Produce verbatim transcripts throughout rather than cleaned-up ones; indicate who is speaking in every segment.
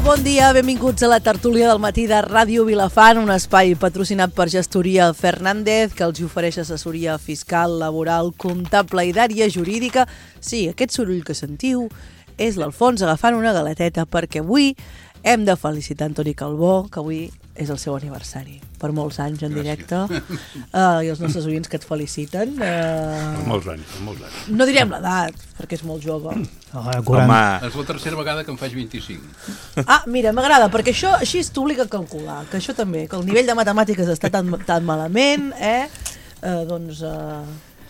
Speaker 1: bon dia, benvinguts a la tertúlia del matí de Ràdio Vilafant, un espai patrocinat per Gestoria Fernández, que els ofereix assessoria fiscal, laboral, comptable i d'àrea jurídica. Sí, aquest soroll que sentiu és l'Alfons agafant una galeteta, perquè avui hem de felicitar Antoni Calbó, que avui és el seu aniversari. Per molts anys en directe. Uh, I els nostres oients que et feliciten. Uh...
Speaker 2: Per molts anys, per molts anys.
Speaker 1: No direm l'edat, perquè és molt jove.
Speaker 3: Oh, Home.
Speaker 2: És la tercera vegada que em faig vint-i-cinc.
Speaker 1: Ah, mira, m'agrada, perquè això així t'obliga a calcular, que això també, que el nivell de matemàtiques està tan, tan malament, eh? Uh, doncs uh,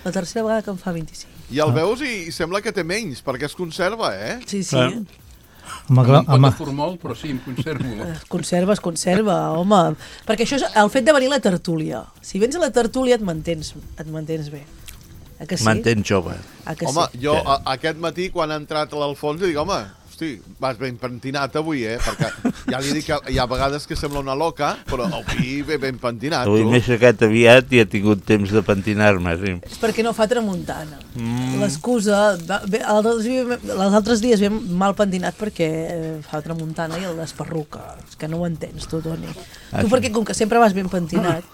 Speaker 1: la tercera vegada que em fa vint-i-cinc.
Speaker 4: I el veus i sembla que té menys, perquè es conserva, eh?
Speaker 1: Sí, sí.
Speaker 3: Eh?
Speaker 2: Home, no em pot afor molt, però sí, em conservo.
Speaker 1: Es conserva, es conserva, home. Perquè això és el fet de venir a la tertúlia. Si vens a la tertúlia et mantens, et mantens bé. A que sí?
Speaker 5: Mantens jove.
Speaker 1: A que
Speaker 4: home,
Speaker 1: sí?
Speaker 4: jo a, aquest matí, quan ha entrat l'Alfons, dic, home, hosti, vas ben pentinat avui, eh? Perquè ja li dic que hi ha vegades que sembla una loca, però avui ve ben pentinat.
Speaker 5: Avui m'he aixecat aviat i he tingut temps de pentinar-me, sí.
Speaker 1: És perquè no fa tramuntana. Mm. L'excusa... Els altres dies ve mal pentinat perquè fa tramuntana i el desperruca. És que no ho entens, tu, Toni. Ah, tu, perquè com que sempre vas ben pentinat...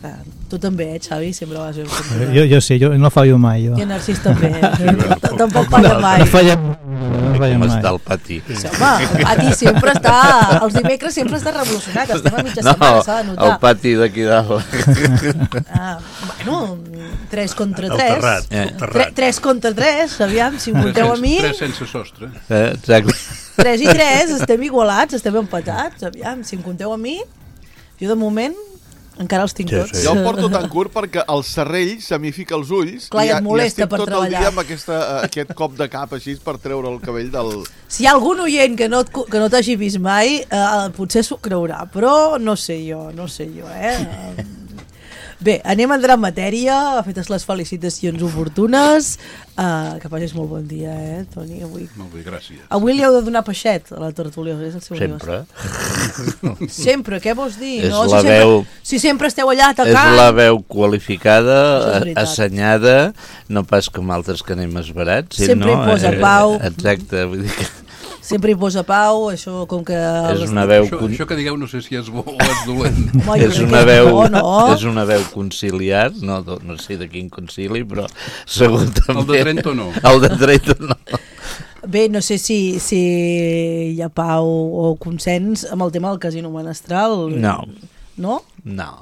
Speaker 1: Ah, tu també, eh, Xavi? Sempre vas ben pentinat.
Speaker 3: Jo, jo sí, jo no fallo mai. Jo.
Speaker 1: I en Narcís també. Tampoc falla mai.
Speaker 3: No falla, no falla
Speaker 5: Com
Speaker 3: mai.
Speaker 5: està el pati?
Speaker 1: Sí, home, el pati sempre està... Els dimecres sempre està revolucionat. Estem a mitja
Speaker 5: No,
Speaker 1: setmana, s'ha de notar.
Speaker 5: el pati d'aquí dalt.
Speaker 1: Ah, bueno, tres contra
Speaker 2: El
Speaker 1: tres.
Speaker 2: terrat,
Speaker 5: Eh.
Speaker 2: el terrat.
Speaker 1: tres contra tres, aviam, si em compteu a mi...
Speaker 2: Tres sense sostre.
Speaker 5: Eh, exacte.
Speaker 1: tres i tres, estem igualats, estem empatats, aviam, si em compteu a mi... Jo, de moment, encara els tinc
Speaker 5: Sí,
Speaker 1: tots.
Speaker 5: sí.
Speaker 4: Jo el porto tan curt perquè el serrell se m'hi fica els ulls.
Speaker 1: Clar, i et
Speaker 4: i,
Speaker 1: molesta
Speaker 4: i estic
Speaker 1: per
Speaker 4: tot
Speaker 1: treballar.
Speaker 4: el dia amb aquesta, aquest cop de cap així per treure el cabell del...
Speaker 1: Si hi ha algun oient que no, et- que no t'hagi vist mai, eh, potser s'ho creurà, però no sé jo, no sé jo, eh? Bé, anem a entrar en matèria, fetes les felicitacions oportunes, uh, que passis molt bon dia, eh, Toni, avui.
Speaker 2: Molt bé, gràcies.
Speaker 1: Avui li heu de donar peixet a la tertúlia, és el seu
Speaker 5: Sempre.
Speaker 1: aniversari. Sempre, què vols dir?
Speaker 5: És
Speaker 1: no?
Speaker 5: la
Speaker 1: si, sempre,
Speaker 5: veu-
Speaker 1: si sempre esteu allà
Speaker 5: És
Speaker 1: atacant...
Speaker 5: la veu qualificada,
Speaker 1: Això és
Speaker 5: a-
Speaker 1: veritat.
Speaker 5: assenyada, no pas com altres que anem esverats.
Speaker 1: Sempre
Speaker 5: no?
Speaker 1: hi posa
Speaker 5: Eh,
Speaker 1: pau.
Speaker 5: Exacte, vull dir que
Speaker 1: Sempre hi posa pau, això com que...
Speaker 5: és una veu...
Speaker 2: Això,
Speaker 5: con-
Speaker 2: això que digueu no sé si és bo o és dolent.
Speaker 1: Home, jo
Speaker 5: És
Speaker 1: crec
Speaker 5: una
Speaker 1: que
Speaker 5: veu,
Speaker 1: bo, no?
Speaker 5: és una veu conciliar, no, no sé de quin concili, però segur també...
Speaker 2: El de Trento no.
Speaker 5: El de Trento no.
Speaker 1: Bé, no sé si, si hi ha pau o consens amb el tema del casino menestral.
Speaker 5: No.
Speaker 1: No?
Speaker 5: No.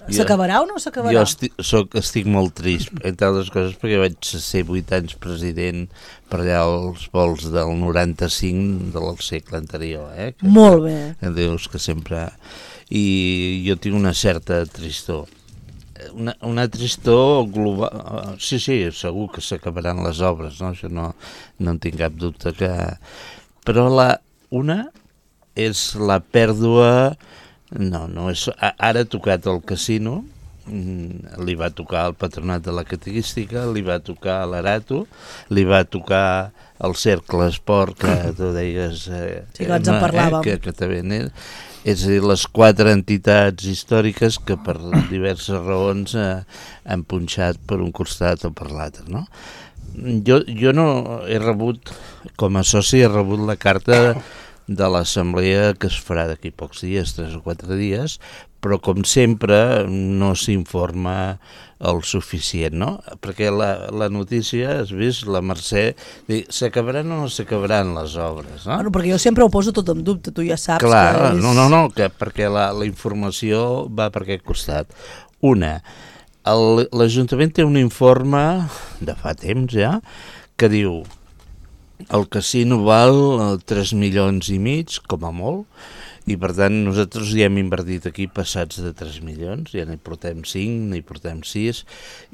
Speaker 1: S'acabarà o no s'acabarà?
Speaker 5: Jo estic, soc, estic molt trist, entre altres coses, perquè vaig ser vuit anys president per allà als vols del noranta-cinc del segle anterior. Eh? Que,
Speaker 1: Molt bé.
Speaker 5: que dius que sempre... I jo tinc una certa tristor. Una, una tristor global... Sí, sí, segur que s'acabaran les obres, no? Això no, no en tinc cap dubte. Que... Però la, una és la pèrdua... No, no és... Ara ha tocat el casino, li va tocar el patronat de la catequística, li va tocar l'Arato, li va tocar el Cercle Esport, que tu deies... Eh,
Speaker 1: Sí, que ens en parlàvem.
Speaker 5: Eh, que, que també n'és. És a dir, les quatre entitats històriques que per diverses raons eh, han punxat per un costat o per l'altre, no? Jo, jo no he rebut, com a soci, he rebut la carta de l'assemblea que es farà d'aquí pocs dies, tres o quatre dies, però com sempre no s'informa el suficient, no? Perquè la, la notícia, has vist, la Mercè, s'acabaran o no s'acabaran les obres, no?
Speaker 1: Bueno, perquè jo sempre ho poso tot en dubte, tu ja saps
Speaker 5: Clar,
Speaker 1: que és...
Speaker 5: no, no, no, que perquè la, la informació va per aquest costat. Una, el- l'Ajuntament té un informe de fa temps ja, que diu el casino val tres milions i mig, com a molt, i per tant nosaltres ja hem invertit aquí passats de tres milions, ja n'hi portem cinc, n'hi portem sis,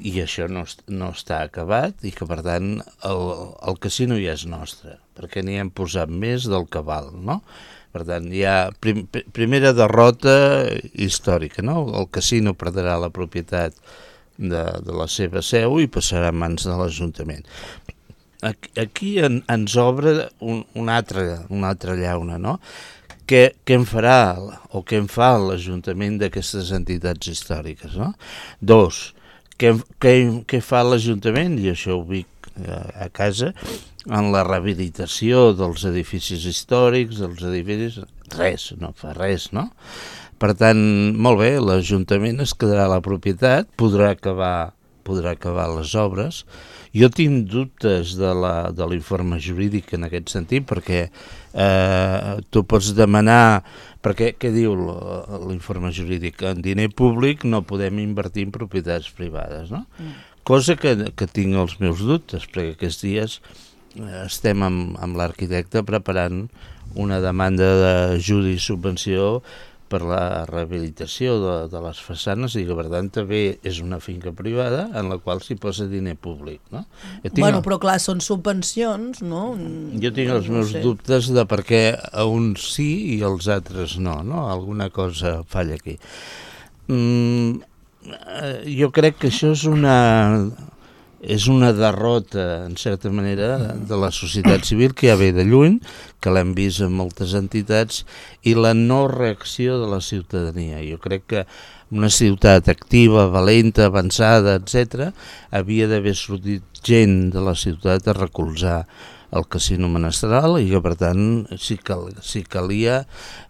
Speaker 5: i això no, est- no està acabat, i que per tant el, el casino ja és nostre, perquè n'hi hem posat més del que val, no? Per tant, hi ha prim, primera derrota històrica, no? El casino perdrà la propietat de, de la seva seu i passarà a mans de l'Ajuntament. Aquí, aquí en, ens obre un, un altre, una altra llauna, no? Què, què en farà o què en fa l'Ajuntament d'aquestes entitats històriques, no? Dos, què, què, què fa l'Ajuntament, i això ho dic a casa, en la rehabilitació dels edificis històrics, dels edificis... Res, no fa res, no? Per tant, molt bé, l'Ajuntament es quedarà a la propietat, podrà acabar, podrà acabar les obres. Jo tinc dubtes de la, de l'informe jurídic en aquest sentit, perquè eh, tu pots demanar... Perquè, què diu l'informe jurídic? En diner públic no podem invertir en propietats privades, no? Mm. Cosa que, que tinc els meus dubtes, perquè aquests dies estem amb, amb l'arquitecte preparant una demanda d'ajuda i subvenció per la rehabilitació de, de les façanes i que per tant també és una finca privada en la qual s'hi posa diner públic, no? Tinc...
Speaker 1: Bueno, però clar, són subvencions, no?
Speaker 5: Jo tinc els meus no sé. dubtes de per què a uns sí i als altres no, no? Alguna cosa falla aquí. Mm, jo crec que això és una... és una derrota, en certa manera, de la societat civil que ja ve de lluny, que l'hem vist en moltes entitats, i la no reacció de la ciutadania. Jo crec que una ciutat activa, valenta, avançada, etcètera, havia d'haver sortit gent de la ciutat a recolzar el casino menestral i que, per tant, si, cal, si calia,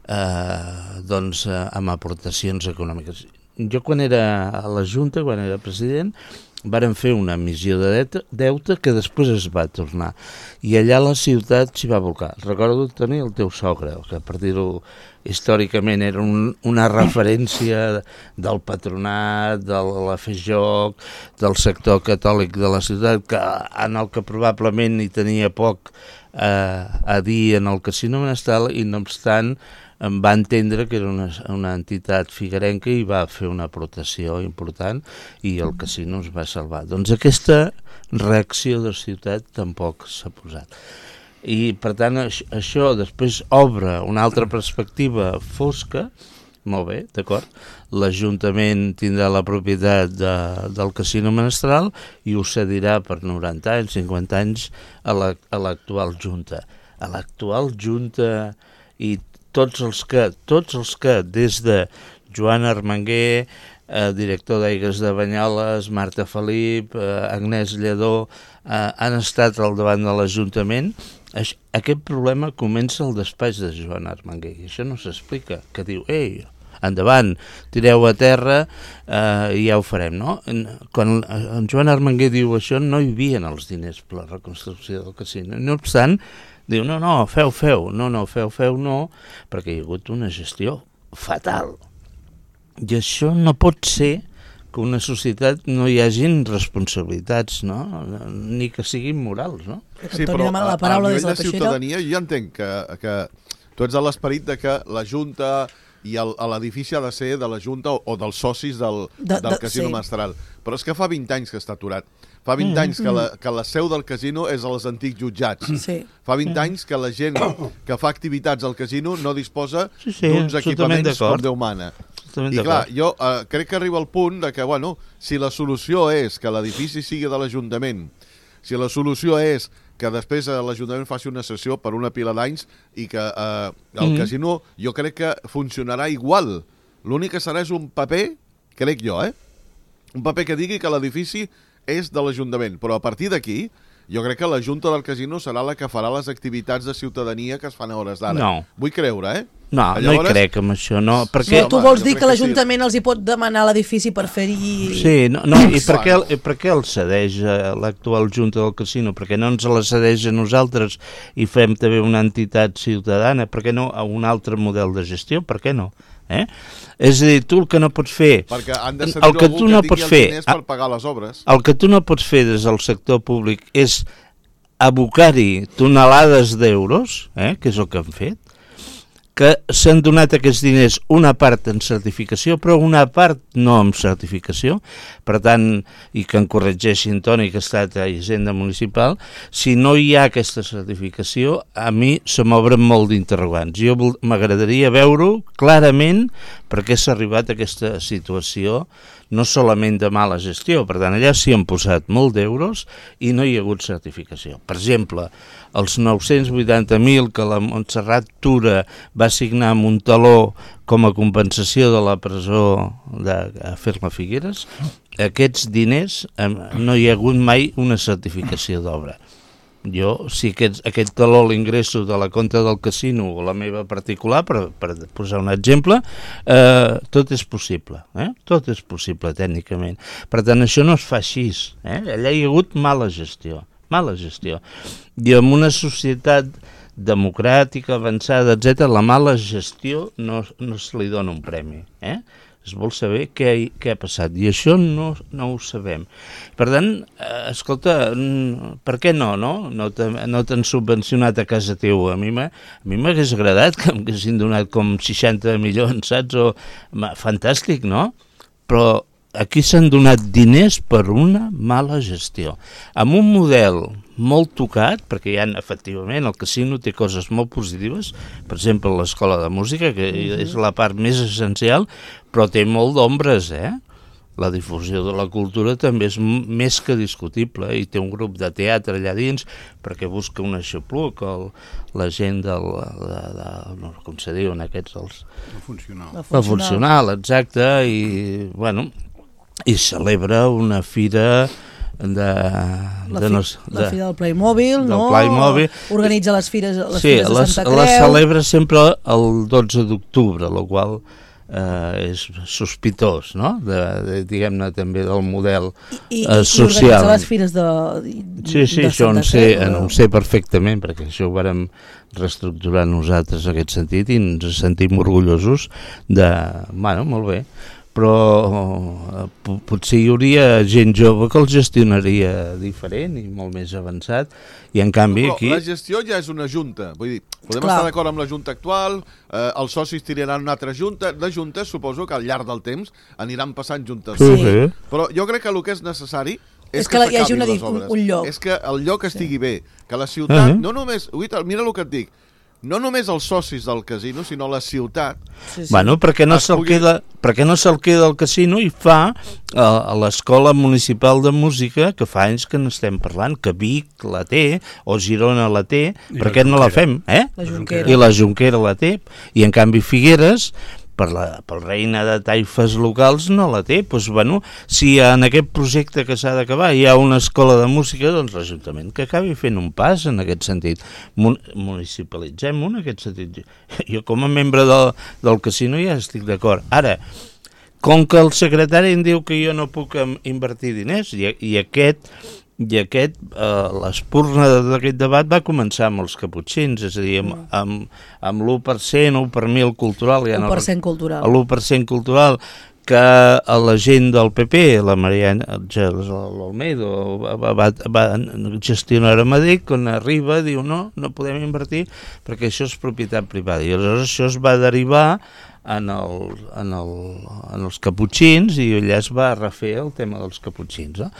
Speaker 5: eh, doncs, eh, amb aportacions econòmiques. Jo, quan era a la Junta, quan era president, varen fer una emissió de deute que després es va tornar. I allà la ciutat s'hi va volcar. Recordo tenir el teu sogre, que per dir-ho històricament era un, una referència del patronat, de la Fe Joc, del sector catòlic de la ciutat, que, en el que probablement hi tenia poc eh, a dir en el casino menestral, i no obstant em va entendre que era una, una entitat figuerenca i va fer una aportació important i el casino es va salvar. Doncs aquesta reacció de ciutat tampoc s'ha posat. I per tant això després obre una altra perspectiva fosca, molt bé, d'acord, l'Ajuntament tindrà la propietat de, del casino menestral i ho cedirà per noranta anys, cinquanta anys a l'actual Junta. A l'actual Junta i tots els que, tots els que des de Joan Armenguer, eh, director d'Aigües de Banyoles, Marta Felip, eh, Agnès Lledó, eh, han estat al davant de l'Ajuntament, aquest problema comença al despatx de Joan Armenguer, i això no s'explica, que diu, ei, endavant, tireu a terra eh, i ja ho farem, no? Quan en Joan Armenguer diu això, no hi havia els diners per la reconstrucció del casino. No obstant, diu, no, no, feu, feu, no, no, feu, feu, no, perquè hi ha hagut una gestió fatal. I això no pot ser que una societat no hi hagin responsabilitats, no? Ni que siguin morals, no?
Speaker 4: Sí, però a, a nivell de ciutadania jo ja entenc que, que tu ets de l'esperit de que la Junta i l'edifici ha de ser de la Junta o, o dels socis del, de, del de, casino sí. menestral. Però és que fa vint anys que està aturat. Fa vint mm, anys que la, que la seu del casino és als antics jutjats. Sí. Fa vint mm. anys que la gent que fa activitats al casino no disposa sí, sí, d'uns equipaments com Déu mana. I clar, jo eh, crec que arriba al punt de que, bueno, si la solució és que l'edifici sigui de l'Ajuntament, si la solució és que després eh, l'Ajuntament faci una sessió per una pila d'anys i que eh, el mm. casino jo crec que funcionarà igual. L'únic que serà és un paper, crec jo, eh? Un paper que digui que l'edifici és de l'Ajuntament, però a partir d'aquí jo crec que la Junta del Casino serà la que farà les activitats de ciutadania que es fan a hores d'ara.
Speaker 5: No.
Speaker 4: Vull creure, eh?
Speaker 5: No, Llavors... no hi crec amb això, no. Perquè...
Speaker 1: No, tu vols dir que l'Ajuntament sí. els hi pot demanar l'edifici per fer-hi...
Speaker 5: Sí, no, no i per què, el, per què el cedeix a l'actual Junta del Casino? Perquè no ens la cedeix a nosaltres i fem també una entitat ciutadana? Per què no a un altre model de gestió? Per què no? Eh? És a dir, tu el que no pots fer...
Speaker 4: Perquè han de cedir algú que, que no tingui els diners per pagar les obres.
Speaker 5: El que tu no pots fer des del sector públic és abocar-hi tonelades d'euros, eh, que és el que han fet, que s'han donat aquests diners una part en certificació, però una part no en certificació, per tant, i que en corregeixin Toni, que ha estat a Hisenda Municipal, si no hi ha aquesta certificació, a mi se m'obren molt d'interrogants. Jo m'agradaria veure-ho clarament per què s'ha arribat a aquesta situació, no solament de mala gestió, per tant, allà s'hi han posat molt d'euros i no hi ha hagut certificació. Per exemple, els nou-cents vuitanta mil que la Montserrat Tura va signar amb un taló com a compensació de la presó de Ferma Figueres, aquests diners no hi ha hagut mai una certificació d'obra. Jo, si aquest, aquest taló l'ingresso de la compta del casino o la meva particular, per, per posar un exemple, eh, tot és possible, eh? Tot és possible tècnicament. Per tant, això no es fa així, eh? Allà hi ha hagut mala gestió, mala gestió. I en una societat democràtica, avançada, etcètera, la mala gestió no, no se li dona un premi, eh? Es vol saber què, què ha passat, i això no, no ho sabem. Per tant, eh, escolta, per què no, no? No t'han subvencionat a casa teva. A mi m'hagués agradat que m'haguessin donat com seixanta milions, saps? O, fantàstic, no? Però aquí s'han donat diners per una mala gestió. Amb un model molt tocat, perquè hi ha, efectivament, el casino té coses molt positives, per exemple, l'escola de música, que uh-huh. és la part més essencial, però té molt d'ombres, eh? La difusió de la cultura també és m- més que discutible, i té un grup de teatre allà dins, perquè busca un aixopluc, el, la gent del, de, de, no, com se diuen aquests, els...
Speaker 2: El funcional.
Speaker 1: El funcional.
Speaker 5: El funcional, exacte, i, bueno, i celebra una fira de,
Speaker 1: la,
Speaker 5: de,
Speaker 1: fi,
Speaker 5: no,
Speaker 1: de, la
Speaker 5: de,
Speaker 1: fira del Playmobil,
Speaker 5: del
Speaker 1: no?
Speaker 5: Playmobil.
Speaker 1: Organitza les fires, les
Speaker 5: sí,
Speaker 1: fires de
Speaker 5: les,
Speaker 1: Santa Creu.
Speaker 5: les celebra sempre el dotze d'octubre, el qual eh, és sospitós, no? De, de, diguem-ne també del model
Speaker 1: I, i,
Speaker 5: eh, social.
Speaker 1: I organitza les fires de,
Speaker 5: sí, sí,
Speaker 1: de
Speaker 5: això en
Speaker 1: Santa
Speaker 5: sé,
Speaker 1: Creu.
Speaker 5: en sé perfectament, perquè això ho vàrem reestructurar nosaltres en aquest sentit i ens sentim orgullosos de... Bueno, molt bé, però eh, potser hi hauria gent jove que el gestionaria diferent i molt més avançat, i en canvi
Speaker 4: però
Speaker 5: aquí...
Speaker 4: la gestió ja és una junta, vull dir, podem
Speaker 1: Clar.
Speaker 4: estar d'acord amb la junta actual, eh, els socis tiraran una altra junta, de juntes suposo que al llarg del temps aniran passant juntes.
Speaker 5: Sí, sí.
Speaker 4: Però jo crec que el que és necessari és,
Speaker 1: és que, que hi hagi
Speaker 4: s'acabin
Speaker 1: una,
Speaker 4: les
Speaker 1: un,
Speaker 4: obres.
Speaker 1: un lloc.
Speaker 4: És que el lloc estigui bé, que la ciutat,
Speaker 5: Uh-huh.
Speaker 4: no només, uita, mira el que et dic, no només els socis del casino, sinó la ciutat.
Speaker 1: Sí, sí.
Speaker 5: Bueno, perquè no
Speaker 4: Es
Speaker 5: se'l
Speaker 4: pugui-
Speaker 5: queda, perquè no se'l queda al casino i fa eh, a l'Escola Municipal de Música, que fa anys que n'estem parlant, que Vic la té, o Girona la té,
Speaker 2: I
Speaker 5: per
Speaker 2: la
Speaker 5: què no la
Speaker 2: Jonquera.
Speaker 5: fem? Eh?
Speaker 1: La Jonquera.
Speaker 5: I la Jonquera la té, i en canvi Figueres, per la, pel reina de taifes locals, no la té. Doncs, bueno, si en aquest projecte que s'ha d'acabar hi ha una escola de música, doncs l'Ajuntament que acabi fent un pas en aquest sentit. Mun- municipalitzem-ho en aquest sentit. Jo com a membre del, del casino ja estic d'acord. Ara, com que el secretari em diu que jo no puc em, invertir diners, i, i aquest... i aquest, eh, l'espurna d'aquest debat va començar amb els caputxins, és a dir, amb, amb, amb l'u per cent, u per mil cultural, ja
Speaker 1: u
Speaker 5: no,
Speaker 1: per cent cultural.
Speaker 5: l'u per cent cultural, que a la gent del P P, la Mariana l'Almeida, va, va, va gestionar a Madrid, quan arriba diu no, no podem invertir perquè això és propietat privada, i aleshores això es va derivar en, el, en, el, en els caputxins, i allà es va refer el tema dels caputxins. No?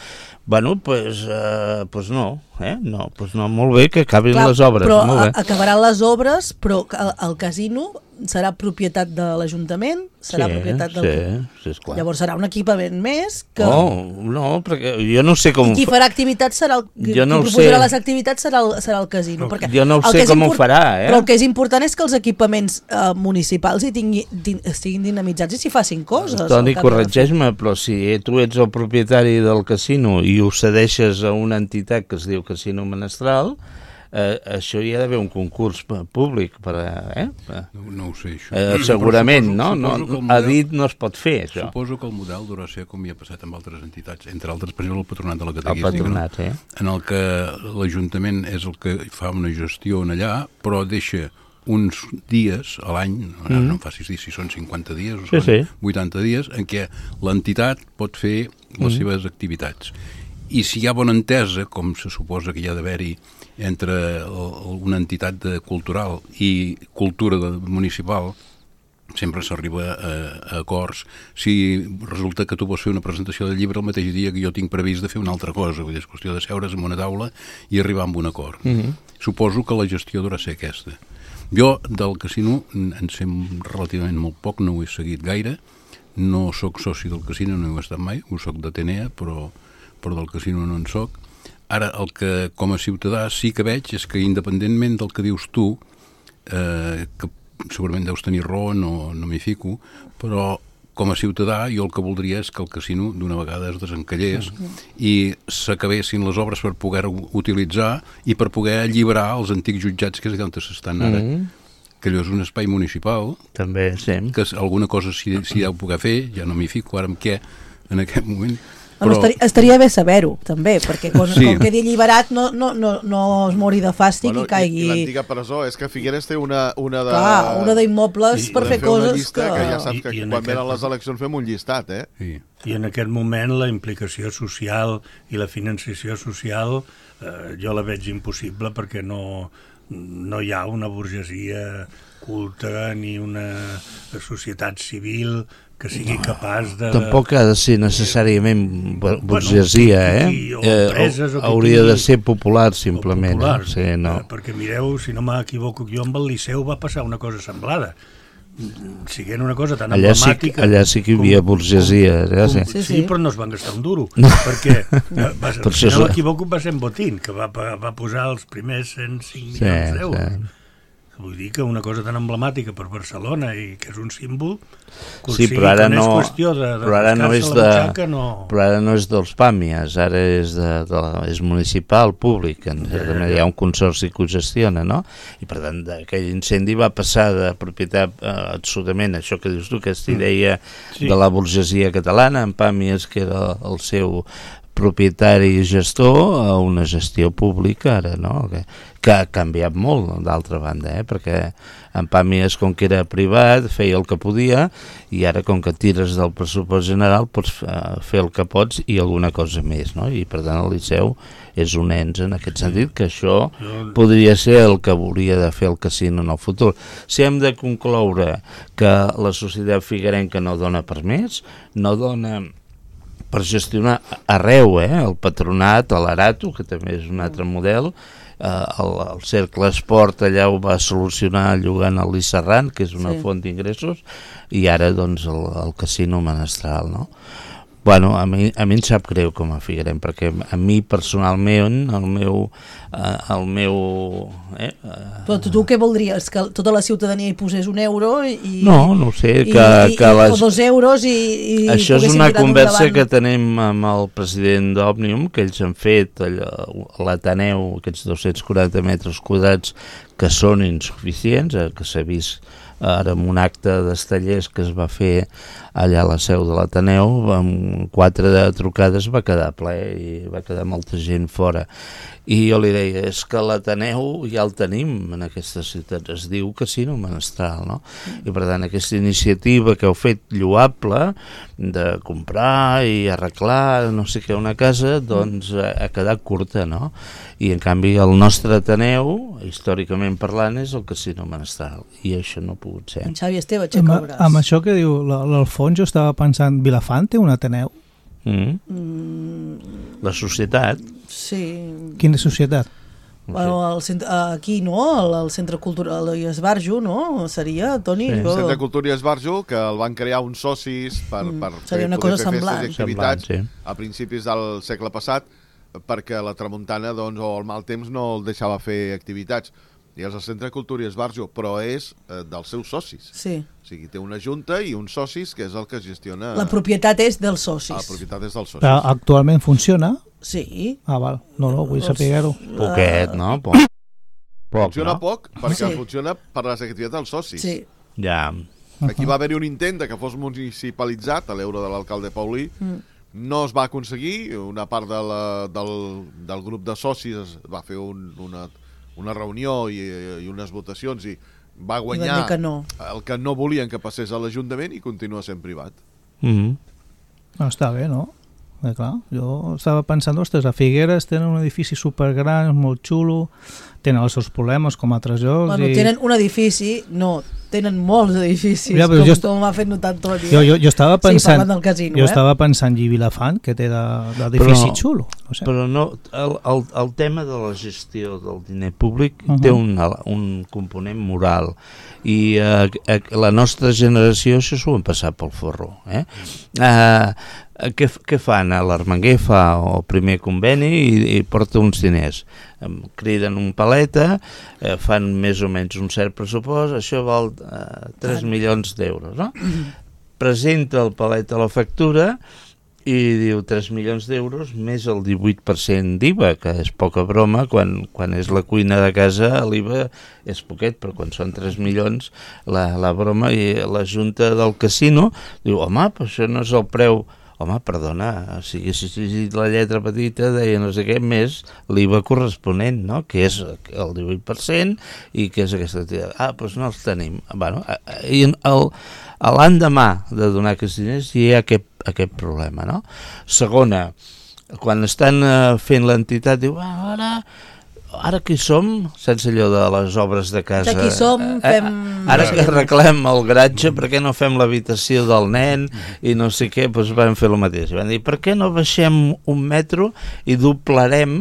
Speaker 5: Bueno, doncs pues, eh, pues no, eh? no, pues no, molt bé que acabin
Speaker 1: Clar,
Speaker 5: les obres.
Speaker 1: Però
Speaker 5: molt bé.
Speaker 1: a- acabaran les obres, però el, el casino serà propietat de l'Ajuntament, serà
Speaker 5: sí,
Speaker 1: propietat del...
Speaker 5: sí, sí, esclar.
Speaker 1: Llavors serà un equipament més que...
Speaker 5: Oh, no, perquè jo no sé com...
Speaker 1: I qui farà activitats serà el...
Speaker 5: Jo no
Speaker 1: qui
Speaker 5: ho
Speaker 1: proposarà
Speaker 5: sé.
Speaker 1: les activitats serà el, serà el casino. Perquè
Speaker 5: Jo no ho
Speaker 1: el
Speaker 5: sé
Speaker 1: que és
Speaker 5: com ho
Speaker 1: import-
Speaker 5: farà, eh?
Speaker 1: Però el que és important és que els equipaments eh, municipals hi tingui, din, estiguin dinamitzats i s'hi facin coses.
Speaker 5: Toni,
Speaker 1: al cap i a la fi.
Speaker 5: corregeix-me, però si tu ets el propietari del casino i ho cedeixes a una entitat que es diu Casino Menestral, eh, això hi ha d'haver un concurs p- públic per a... Eh?
Speaker 2: No, no ho sé, això.
Speaker 5: Eh,
Speaker 2: Però
Speaker 5: segurament,
Speaker 2: suposo-
Speaker 5: no? no,
Speaker 2: suposo que el
Speaker 5: a
Speaker 2: model-
Speaker 5: dit no es pot fer, això.
Speaker 2: Suposo que el model durà ser com hi ha passat amb altres entitats, entre altres, per exemple, el Patronat de la
Speaker 5: El
Speaker 2: Catequística,
Speaker 5: patronat, eh?
Speaker 2: en el que l'Ajuntament és el que fa una gestió en allà, però deixa uns dies a l'any, no,
Speaker 5: Mm.
Speaker 2: no em facis dir si són cinquanta dies o
Speaker 5: Sí,
Speaker 2: són
Speaker 5: sí.
Speaker 2: vuitanta dies, en què l'entitat pot fer les
Speaker 5: Mm.
Speaker 2: seves activitats. I si hi ha bona entesa, com se suposa que hi ha d'haver-hi entre el- una entitat de cultural i cultura de, municipal, sempre s'arriba a, a acords. Si resulta que tu vols fer una presentació del llibre el mateix dia que jo tinc previst de fer una altra cosa, vull dir, és qüestió de seure's en una taula i arribar a un acord.
Speaker 5: Mhm.
Speaker 2: Suposo que la gestió durà ser aquesta. Jo del casino en sé relativament molt poc, no ho he seguit gaire, no sóc soci del casino, no ho he estat mai, ho soc d'Atenea, però, però del casino no en soc. Ara, el que com a ciutadà sí que veig és que independentment del que dius tu, eh, que segurament deus tenir raó, no, no m'hi fico, però com a ciutadà jo el que voldria és que el casino d'una vegada es desencallés mm-hmm. i s'acabessin les obres per poder-ho utilitzar i per poder alliberar els antics jutjats que és allà on s'estan ara. Mm-hmm. Que allò és un espai municipal.
Speaker 5: També, sí.
Speaker 2: Que alguna cosa s'hi si ha de poder fer, ja no m'hi fico ara amb què en aquest moment.
Speaker 1: Però... Estaria, estaria bé saber-ho, també, perquè quan, sí. com quedi alliberat no, no, no, no es mori de fàstic bueno, i caigui...
Speaker 4: I, i l'antiga presó, és que Figueres té una, una de...
Speaker 1: Clar, una d'immobles per fer coses
Speaker 4: llista,
Speaker 1: que...
Speaker 4: que ja saps que I, i quan venen les eleccions fem un llistat, eh?
Speaker 6: Sí. I en aquest moment la implicació social i la financiació social eh, jo la veig impossible perquè no, no hi ha una burgesia culta ni una societat civil que sigui capaç de...
Speaker 5: Tampoc ha de ser necessàriament burgesia, eh?
Speaker 6: O empreses,
Speaker 5: eh? Hauria de ser popular, simplement.
Speaker 6: Popular,
Speaker 5: sí, no.
Speaker 6: eh, perquè mireu, si no m'equivoco jo, amb el Liceu va passar una cosa semblada. Siguent una cosa tan
Speaker 5: allà
Speaker 6: emblemàtica...
Speaker 5: Sí, allà sí que hi havia com, burgesia. Com,
Speaker 6: ja,
Speaker 5: sí.
Speaker 6: Sí, sí. sí, però no es van gastar un duro. No. Perquè, va, per si no m'equivoco, va ser en Botín, que va, va posar els primers cent cinc milions d'euros. Sí. Vull dir que una cosa tan emblemàtica per Barcelona i que és un símbol,
Speaker 5: sí, però ara no,
Speaker 6: és qüestió de, de
Speaker 5: però ara no és
Speaker 6: de,
Speaker 5: butxaca,
Speaker 6: no...
Speaker 5: però ara no és dels Pàmies, ara és, de, de, és municipal, públic, en, ja, ja, ja. Hi ha un consorci que ho gestiona, no? I per tant, aquell incendi va passar de propietat eh, absolutament, això que dius tu, aquesta idea sí. de la burgesia catalana, en Pàmies, que era el seu propietari i gestor, a una gestió pública ara, no? Que, que ha canviat molt, d'altra banda, eh? Perquè en Pàmies, com que era privat, feia el que podia, i ara, com que tires del pressupost general, pots fer el que pots i alguna cosa més, no? I per tant el Liceu és un ens en aquest sentit, que això podria ser el que volia de fer el casino en el futur. Si hem de concloure que la societat figuerenca no dona per més, no dona per gestionar arreu, eh? El patronat, l'Arato, que també és un altre model, eh, el, el Cercle Esport allà ho va solucionar llogant el Lisserran, que és una sí. font d'ingressos, i ara doncs el, el casino menestral, no? Bueno, a mi, a mi em sap greu com a Figuerem, perquè a mi personalment, el meu... Eh, el meu eh,
Speaker 1: Però tu, tu què voldries? Que tota la ciutadania hi posés un euro i...
Speaker 5: No, no ho sé,
Speaker 1: i,
Speaker 5: que,
Speaker 1: i,
Speaker 5: que les...
Speaker 1: o dos euros i... i
Speaker 5: això és una conversa que tenim amb el president d'Òmnium, que ells han fet l'Ateneu, aquests dos-cents quaranta metres quadrats, que són insuficients, eh, que s'ha vist ara en un acte d'Estellers que es va fer allà a la seu de l'Ateneu, amb quatre de trucades va quedar ple i va quedar molta gent fora. I jo li deia, és que l'Ateneu ja el tenim en aquesta ciutat, es diu Casino Menestral, no? I per tant aquesta iniciativa que heu fet lloable de comprar i arreglar no sé què una casa, doncs ha quedat curta, no? I en canvi el nostre Ateneu, històricament parlant, és el Casino Menestral, i això no ha pogut ser.
Speaker 1: En Xavi Esteve, aixeca el braç.
Speaker 3: Amb això que diu l'Alfons, jo estava pensant, Vilafant té un Ateneu?
Speaker 5: Mm. Mm. La societat.
Speaker 1: Sí.
Speaker 3: Quina societat?
Speaker 1: Bueno, el centre, aquí, no? El, el Centre Cultural i Esbarjo, no? Seria, Toni?
Speaker 4: Sí.
Speaker 1: Jo...
Speaker 4: El Centre Cultural i Esbarjo, que el van crear uns socis per, mm. per
Speaker 1: Seria una
Speaker 4: fer,
Speaker 1: cosa
Speaker 4: fer
Speaker 1: semblant.
Speaker 4: festes i activitats
Speaker 5: semblant, sí.
Speaker 4: a principis del segle passat, perquè la tramuntana, doncs, o el mal temps no el deixava fer activitats. I és el Centre Cultura i Esbarjo, però és eh, dels seus socis.
Speaker 1: Sí.
Speaker 4: O sigui, té una junta i uns socis, que és el que gestiona...
Speaker 1: La propietat és dels socis.
Speaker 4: La propietat és dels socis.
Speaker 3: Però actualment funciona?
Speaker 1: Sí.
Speaker 3: Ah, val. No, no, vull saber-ho.
Speaker 5: Poquet, no? Poc.
Speaker 4: Poc, funciona
Speaker 5: no?
Speaker 4: poc, perquè
Speaker 1: sí.
Speaker 4: funciona per les activitats dels socis.
Speaker 1: Sí.
Speaker 5: Ja.
Speaker 4: Aquí va haver-hi un intent de que fos municipalitzat, a l'euro de l'alcalde Paulí, mm. no es va aconseguir, una part de la, del, del grup de socis va fer un, una... una reunió i, i unes votacions i va guanyar
Speaker 1: I que no.
Speaker 4: el que no volien que passés a l'Ajuntament i continua sent privat.
Speaker 5: Mm-hmm.
Speaker 3: No, està bé, no? Eh, clar, jo estava pensant, ostres, a Figueres tenen un edifici supergran, molt xulo, tenen els seus problemes com altres llocs.
Speaker 1: Bueno,
Speaker 3: i...
Speaker 1: tenen un edifici, no, tenen molts edificis,
Speaker 3: ja,
Speaker 1: com,
Speaker 3: jo...
Speaker 1: com m'ha fet notar Toni.
Speaker 3: Jo, jo, jo estava pensant,
Speaker 1: sí, parlant del casino,
Speaker 3: jo
Speaker 1: eh?
Speaker 3: estava pensant i Vilafant, que té d'edifici de, xulo. No sé.
Speaker 5: Però no, el, el, el tema de la gestió del diner públic uh -huh. té un, un component moral i eh, la nostra generació això s'ho han passat pel forro. Eh? Eh, què, què fan? L'Armenguer fa el primer conveni i, i porta uns diners. Criden un paleta, eh, fan més o menys un cert pressupost, això val eh, tres milions d'euros, no? Presenta el paleta a la factura i diu tres milions d'euros més el divuit per cent d'I V A, que és poca broma, quan, quan és la cuina de casa l'I V A és poquet, però quan són tres milions la, la broma, i la junta del casino diu, home, però això no és el preu. Home, perdona, si haguessis llegit la lletra petita deia no sé què, més l'I V A corresponent, no? Que és el divuit per cent i que és aquesta activitat. Ah, doncs no els tenim. Bueno, i el, l'endemà de donar aquests diners hi ha aquest, aquest problema, no? Segona, quan estan fent l'entitat, diu, ah, ara... Ara que hi som, sense allò de les obres de casa...
Speaker 1: Aquí som, fem...
Speaker 5: Ara que arreglem el garatge, per què no fem l'habitació del nen i no sé què, doncs vam fer el mateix. Van dir, per què no baixem un metro i doblarem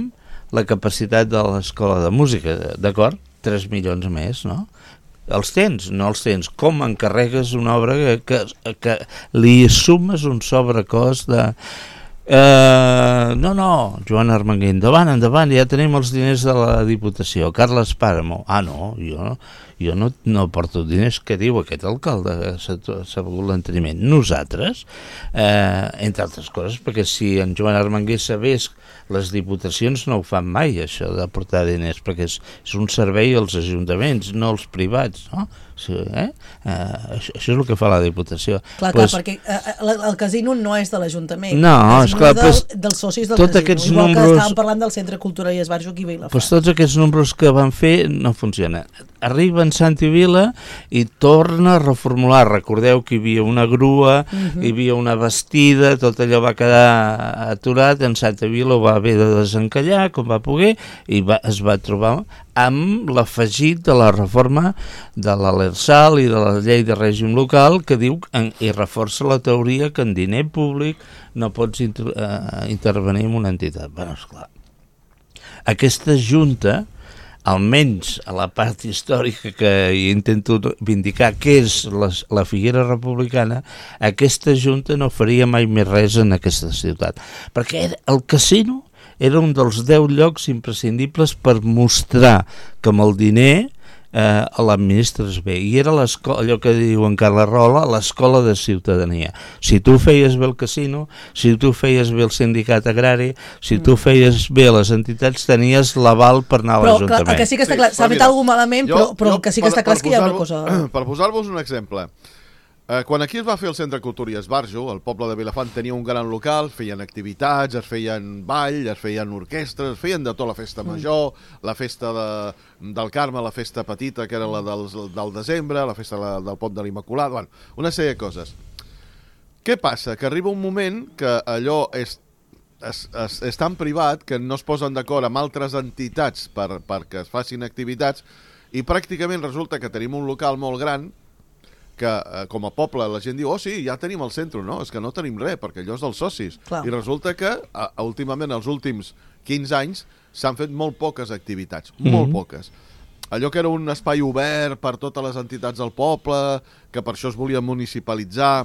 Speaker 5: la capacitat de l'escola de música? D'acord? tres milions més, no? Els tens? No els tens. Com encarregues una obra que, que, que li sumes un sobrecost de... Uh, no, no, Joan Armenguer, endavant, endavant, ja tenim els diners de la Diputació. Carles Pàramo, ah no, jo, jo no, no porto diners, què diu aquest alcalde? S'ha begut l'enteniment. Nosaltres, eh, entre altres coses, perquè si en Joan Armenguer sabés, les diputacions no ho fan mai, això de portar diners, perquè és, és un servei als ajuntaments, no als privats, no? Sí, eh? Uh, això, això és el que fa la Diputació.
Speaker 1: Clar,
Speaker 5: pues,
Speaker 1: clar, perquè uh, el casino no és de l'Ajuntament,
Speaker 5: no,
Speaker 1: és
Speaker 5: clar,
Speaker 1: del,
Speaker 5: pues,
Speaker 1: dels socis del
Speaker 5: tot
Speaker 1: casino, igual
Speaker 5: números,
Speaker 1: que estàvem parlant del Centre Cultural i Esbarjo aquí a Vilafant.
Speaker 5: Pues tots aquests números que van fer no funcionen. Arriba en Santi Vila i torna a reformular. Recordeu que hi havia una grua, uh-huh. hi havia una bastida, tot allò va quedar aturat, en Santa Vila ho va haver de desencallar com va poder i va, es va trobar amb l'afegit de la reforma de la l'Lrsal i de la llei de règim local que diu en, i reforça la teoria que en diner públic no pots inter, uh, intervenir en una entitat. Bueno, esclar, aquesta junta, almenys a la part històrica que intento vindicar què és la, la Figuera Republicana, aquesta junta no faria mai més res en aquesta ciutat, perquè el casino era un dels deu llocs imprescindibles per mostrar que amb el diner eh, l'administres bé, i era allò que diu en Carles Rola, l'escola de ciutadania. Si tu feies bé el casino, si tu feies bé el sindicat agrari, si tu feies bé les entitats, tenies l'aval per anar a l'Ajuntament.
Speaker 1: Clar, el que sí que està clar, s'ha fet alguna malament, jo, però, però jo, el que sí que està clar és que hi ha una cosa...
Speaker 4: Per posar-vos un exemple, Eh, quan aquí es va fer el Centre Cultural i Esbarjo, el poble de Vilafant tenia un gran local, feien activitats, es feien ball, es feien orquestres, es feien de tot, la festa major, la festa de, del Carme, la festa petita, que era la del, del desembre, la festa la, del Pont de l'Immaculat, bueno, una sèrie de coses. Què passa? Que arriba un moment que allò és, és, és, és tan privat que no es posen d'acord amb altres entitats per, perquè es facin activitats i pràcticament resulta que tenim un local molt gran que eh, com a poble la gent diu, oh sí, ja tenim el centre, no? És que no tenim res, perquè allò és dels socis. Clar. I resulta que a, a, últimament, els últims quinze anys, s'han fet molt poques activitats, mm-hmm. molt poques. Allò que era un espai obert per totes les entitats del poble, que per això es volia municipalitzar,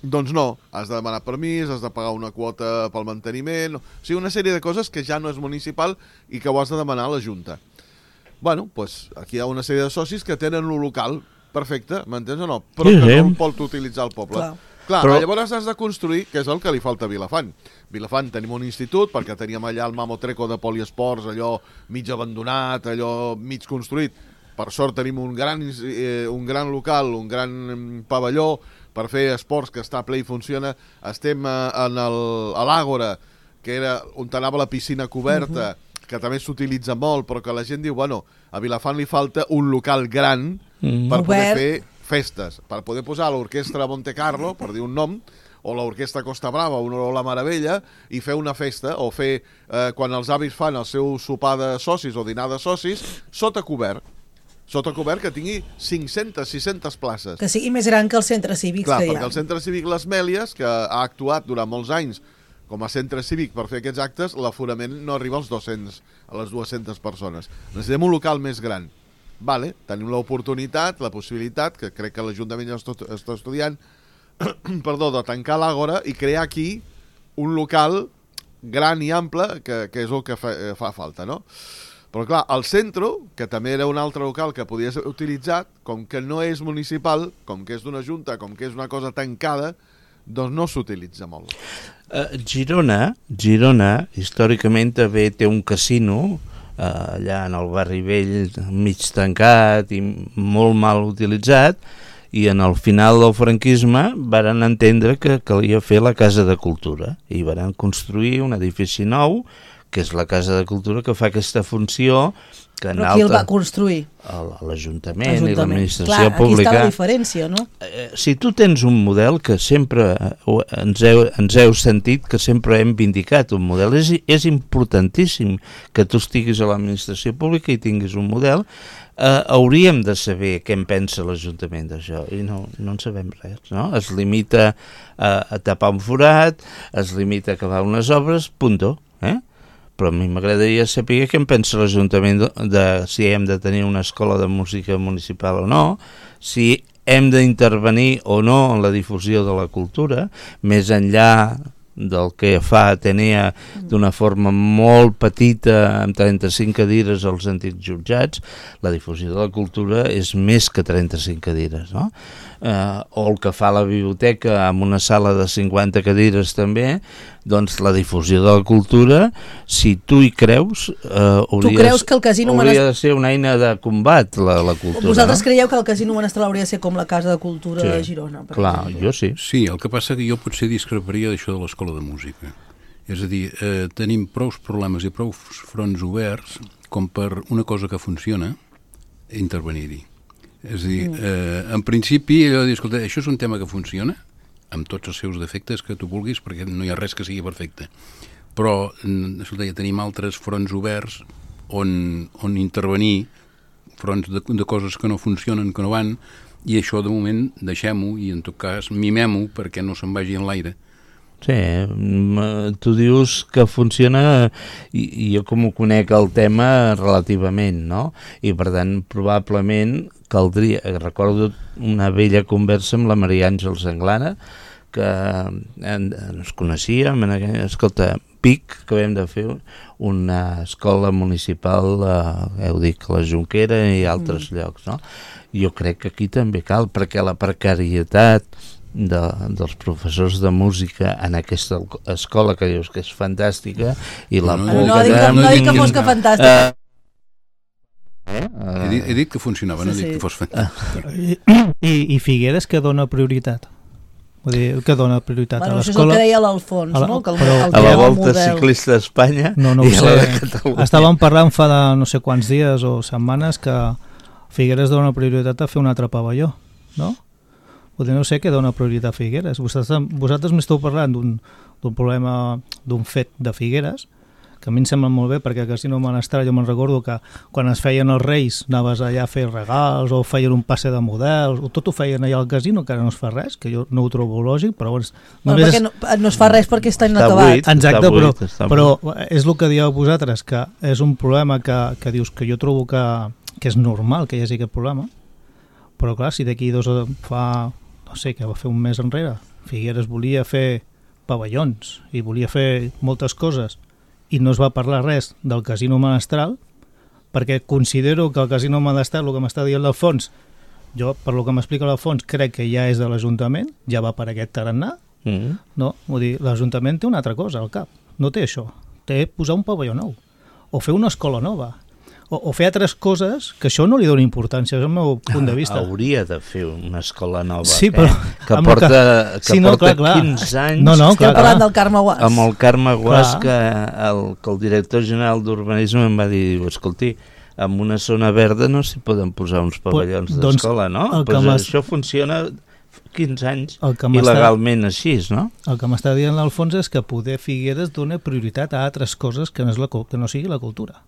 Speaker 4: doncs no, has de demanar permís, has de pagar una quota pel manteniment, o sigui, una sèrie de coses que ja no és municipal i que ho has de demanar a la Junta. Bueno, doncs aquí hi ha una sèrie de socis que tenen un local perfecte, m'entens o no? Però sí, que no el pot utilitzar el poble. Clar, Clar però... llavors has de construir, que és el que li falta a Vilafant. Vilafant tenim un institut, perquè teníem allà el Mamotreco de poliesports, allò mig abandonat, allò mig construït. Per sort tenim un gran, eh, un gran local, un gran pavelló per fer esports que està ple i funciona. Estem eh, en el, a l'Àgora, que era on anava la piscina coberta, uh-huh. que també s'utilitza molt, però que la gent diu, bueno, a Vilafant li falta un local gran mm. per poder Obert. fer festes, per poder posar l'orquestra Monte Carlo, per dir un nom, o l'orquestra Costa Brava, o la Meravella, i fer una festa, o fer, eh, quan els avis fan el seu sopar de socis o dinar de socis, sota cobert. Sota cobert que tingui cinc-centes, sis-centes places.
Speaker 1: Que sigui més gran que el centre cívic
Speaker 4: Clar,
Speaker 1: que hi ha.
Speaker 4: perquè el centre cívic Les Mèlies, que ha actuat durant molts anys com a centre cívic per fer aquests actes, l'aforament no arriba als dos-cents, a les dues-centes persones. Necessitem un local més gran. Vale, tenim l'oportunitat, la possibilitat, que crec que l'Ajuntament ja està estudiant, perdó, de tancar l'Àgora i crear aquí un local gran i ample, que, que és el que fa, fa falta, no? Però clar, el centre, que també era un altre local que podia ser utilitzat, com que no és municipal, com que és d'una junta, com que és una cosa tancada, doncs no s'utilitza molt.
Speaker 5: Uh, Girona, Girona, històricament també té un casino, uh, allà en el barri vell, mig tancat i molt mal utilitzat, i en el final del franquisme varen entendre que calia fer la Casa de Cultura i varen construir un edifici nou, que és la Casa de Cultura, que fa aquesta funció que en
Speaker 1: Però qui
Speaker 5: alta...
Speaker 1: el va construir?
Speaker 5: L'Ajuntament i l'administració
Speaker 1: Clar,
Speaker 5: pública.
Speaker 1: Aquí està la diferència, no?
Speaker 5: Eh, si tu tens un model que sempre ens heu, ens heu sentit que sempre hem vindicat un model, és, és importantíssim que tu estiguis a l'administració pública i tinguis un model. Uh, hauríem de saber què en pensa l'Ajuntament d'això i no, no en sabem res, no? Es limita a, a tapar un forat, es limita a acabar unes obres, punto, eh? Però a mi m'agradaria saber què en pensa l'Ajuntament de, de si hem de tenir una escola de música municipal o no, si hem d'intervenir o no en la difusió de la cultura, més enllà del que fa Atenea d'una forma molt petita, amb trenta-cinc cadires als antics jutjats. La difusió de la cultura és més que trenta-cinc cadires, no? Eh, o el que fa la biblioteca amb una sala de cinquanta cadires també, doncs la difusió de la cultura, si tu hi creus, eh, hauria,
Speaker 1: tu creus que el casino
Speaker 5: hauria de ser una eina de combat, la, la cultura.
Speaker 1: Vosaltres
Speaker 5: no?
Speaker 1: creieu que el casino Menestral hauria de ser com la Casa de Cultura sí. de Girona? Per
Speaker 5: Clar,
Speaker 1: exemple.
Speaker 5: jo sí.
Speaker 2: Sí, el que passa que jo potser discreparia d'això de l'escola de música. És a dir, eh, tenim prou problemes i prou fronts oberts com per una cosa que funciona intervenir-hi. És a dir, eh, en principi, allò de dir, escolta, això és un tema que funciona, amb tots els seus defectes que tu vulguis, perquè no hi ha res que sigui perfecte. Però, escolta, ja tenim altres fronts oberts on, on intervenir, fronts de, de coses que no funcionen, que no van, i això, de moment, deixem-ho i, en tot cas, mimem-ho perquè no se'n vagi en l'aire.
Speaker 5: Sí, tu dius que funciona i, i jo com ho conec el tema relativament, no? I per tant probablement caldria, recordo una vella conversa amb la Maria Àngels Anglana que en, ens coneixíem en aquella, escolta, Pic, que vam de fer una escola municipal, eh, heu dit que la Jonquera i altres mm. llocs, no? Jo crec que aquí també cal, perquè la precarietat De, dels professors de música en aquesta escola que dius que és fantàstica i la
Speaker 1: no,
Speaker 5: por
Speaker 1: no,
Speaker 5: que
Speaker 1: dic, no dic que fos que fantàstica
Speaker 5: uh, eh? uh,
Speaker 2: he, dit, he dit que funcionava, no
Speaker 1: sí,
Speaker 2: he dit
Speaker 1: sí.
Speaker 2: que fos fantàstica
Speaker 3: I, i, i Figueres que dona prioritat vull dir, que dona prioritat
Speaker 1: bueno,
Speaker 3: a
Speaker 1: això és
Speaker 3: l'escola
Speaker 1: el que deia l'Alfons no? Que el,
Speaker 3: però,
Speaker 1: el
Speaker 5: a la Volta
Speaker 1: model.
Speaker 5: Ciclista d'Espanya
Speaker 3: no, no
Speaker 5: i a la de Catalunya
Speaker 3: estàvem parlant fa de no sé quants dies o setmanes que Figueres dona prioritat a fer un altre pavelló, no? Potser no sé què dona prioritat a Figueres. Vosaltres, vosaltres m'esteu parlant d'un problema, d'un fet de Figueres, que a mi em sembla molt bé, perquè al Casino Menestral jo me'n recordo que quan es feien els Reis anaves allà a fer regals o feien un passe de models, o tot ho feien allà al casino, que ara no es fa res, que jo no ho trobo lògic, però bueno,
Speaker 1: bueno, perquè no, no es fa res perquè està inacabat.
Speaker 5: Buit,
Speaker 3: exacte,
Speaker 5: està
Speaker 3: però,
Speaker 5: buit,
Speaker 3: però és el que dieu vosaltres, que és un problema que, que dius que jo trobo que, que és normal que hi hagi aquest problema, però clar, si d'aquí dos fa... no sé, que va fer un mes enrere, Figueres volia fer pavellons i volia fer moltes coses i no es va parlar res del Casino Menestral perquè considero que el Casino Menestral, el que m'està dient l'Alfons, jo, per lo que m'explica l'Alfons, crec que ja és de l'Ajuntament, ja va per aquest tarannà, mm. no? Vull dir, l'Ajuntament té una altra cosa al cap, no té això, té posar un pavelló nou, o fer una escola nova, O, o fer altres coses que això no li dona importància, és el meu punt de vista.
Speaker 5: Hauria de fer una escola nova,
Speaker 3: sí, però,
Speaker 5: eh? que porta, que, que
Speaker 3: sí, no,
Speaker 5: porta
Speaker 3: clar, clar.
Speaker 5: quinze anys.
Speaker 3: No, no,
Speaker 1: Estem
Speaker 3: clar,
Speaker 1: parlant
Speaker 3: clar.
Speaker 1: del Carme Guas.
Speaker 5: Amb el Carme Guas, que el, que el director general d'Urbanisme em va dir, escolti, en una zona verda no s'hi poden posar uns pavellons
Speaker 3: doncs,
Speaker 5: d'escola, no? Pues això funciona quinze anys il·legalment així, no?
Speaker 3: El que m'està dient l'Alfons és que poder Figueres dona prioritat a altres coses que no, és la, que no sigui la cultura.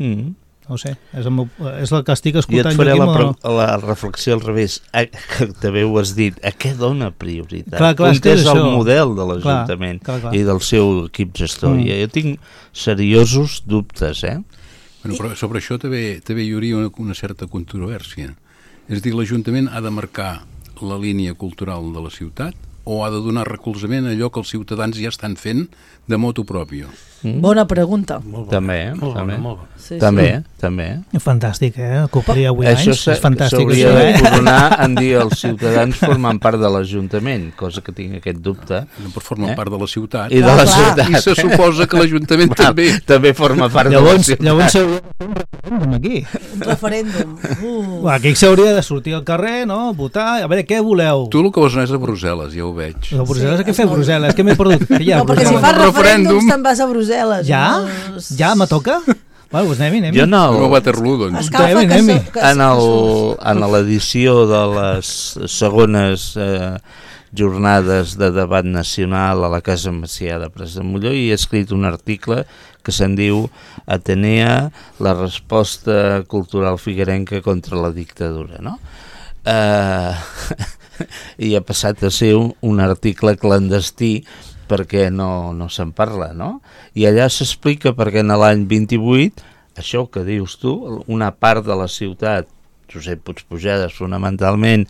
Speaker 5: Mm.
Speaker 3: No sé, és el, meu, és el que estic escoltant.
Speaker 5: Jo et faré la,
Speaker 3: no...
Speaker 5: la reflexió al revés, a, que també ho has dit, a què dona prioritat?
Speaker 3: Clar, clar,
Speaker 5: on és, és el model de l'Ajuntament i del seu equip gestor? Mm. Jo tinc seriosos dubtes, eh?
Speaker 2: Bueno, però sobre això també, també hi hauria una, una certa controvèrsia. És a dir, l'Ajuntament ha de marcar la línia cultural de la ciutat o ha de donar recolzament a allò que els ciutadans ja estan fent de motu propio?
Speaker 1: Mm. Bona pregunta.
Speaker 5: Molt bona. També, eh?
Speaker 6: Molt
Speaker 5: també.
Speaker 6: bona, molt bona.
Speaker 5: Sí, també, sí. també.
Speaker 3: Fantàstic, eh? Complir avui
Speaker 5: això
Speaker 3: anys, és fantàstic.
Speaker 5: Això s'hauria de coronar en dir els ciutadans formant part de l'Ajuntament, cosa que tinc aquest dubte.
Speaker 2: No per formar eh? part de la ciutat.
Speaker 5: I de la ciutat.
Speaker 2: I se suposa que l'Ajuntament també.
Speaker 5: També forma part
Speaker 3: llavors,
Speaker 5: de la ciutat.
Speaker 3: Llavors s'hauria de fer un referèndum aquí.
Speaker 1: Un referèndum. Uh.
Speaker 3: Aquí s'hauria de sortir al carrer, no? Votar, a veure, què voleu?
Speaker 2: Tu el que vols anar és a Brussel·les, ja ho veig.
Speaker 3: A Brussel·les,
Speaker 1: sí,
Speaker 3: què fer a Brussel·les? Què m'he perdut? Què hi ha a
Speaker 1: no, perquè si fas referèndums te'n vas a Brussel·les.
Speaker 3: Ja?
Speaker 1: No?
Speaker 3: Ja me toca? Bueno, doncs anem-hi, anem-hi.
Speaker 5: Jo no...
Speaker 2: No a Waterloo, doncs.
Speaker 1: Escalfa que, so, que
Speaker 5: en el, en l'edició de les segones eh, jornades de debat nacional a la Casa Macià de Pres de Molló hi he escrit un article que se'n diu Atenea, la resposta cultural figuerenca contra la dictadura, no? Eh, i ha passat a ser un, un article clandestí perquè no, no se'n parla, no? I allà s'explica perquè en l'any vint-i-vuit, això que dius tu, una part de la ciutat, Josep Puigpujadas fonamentalment,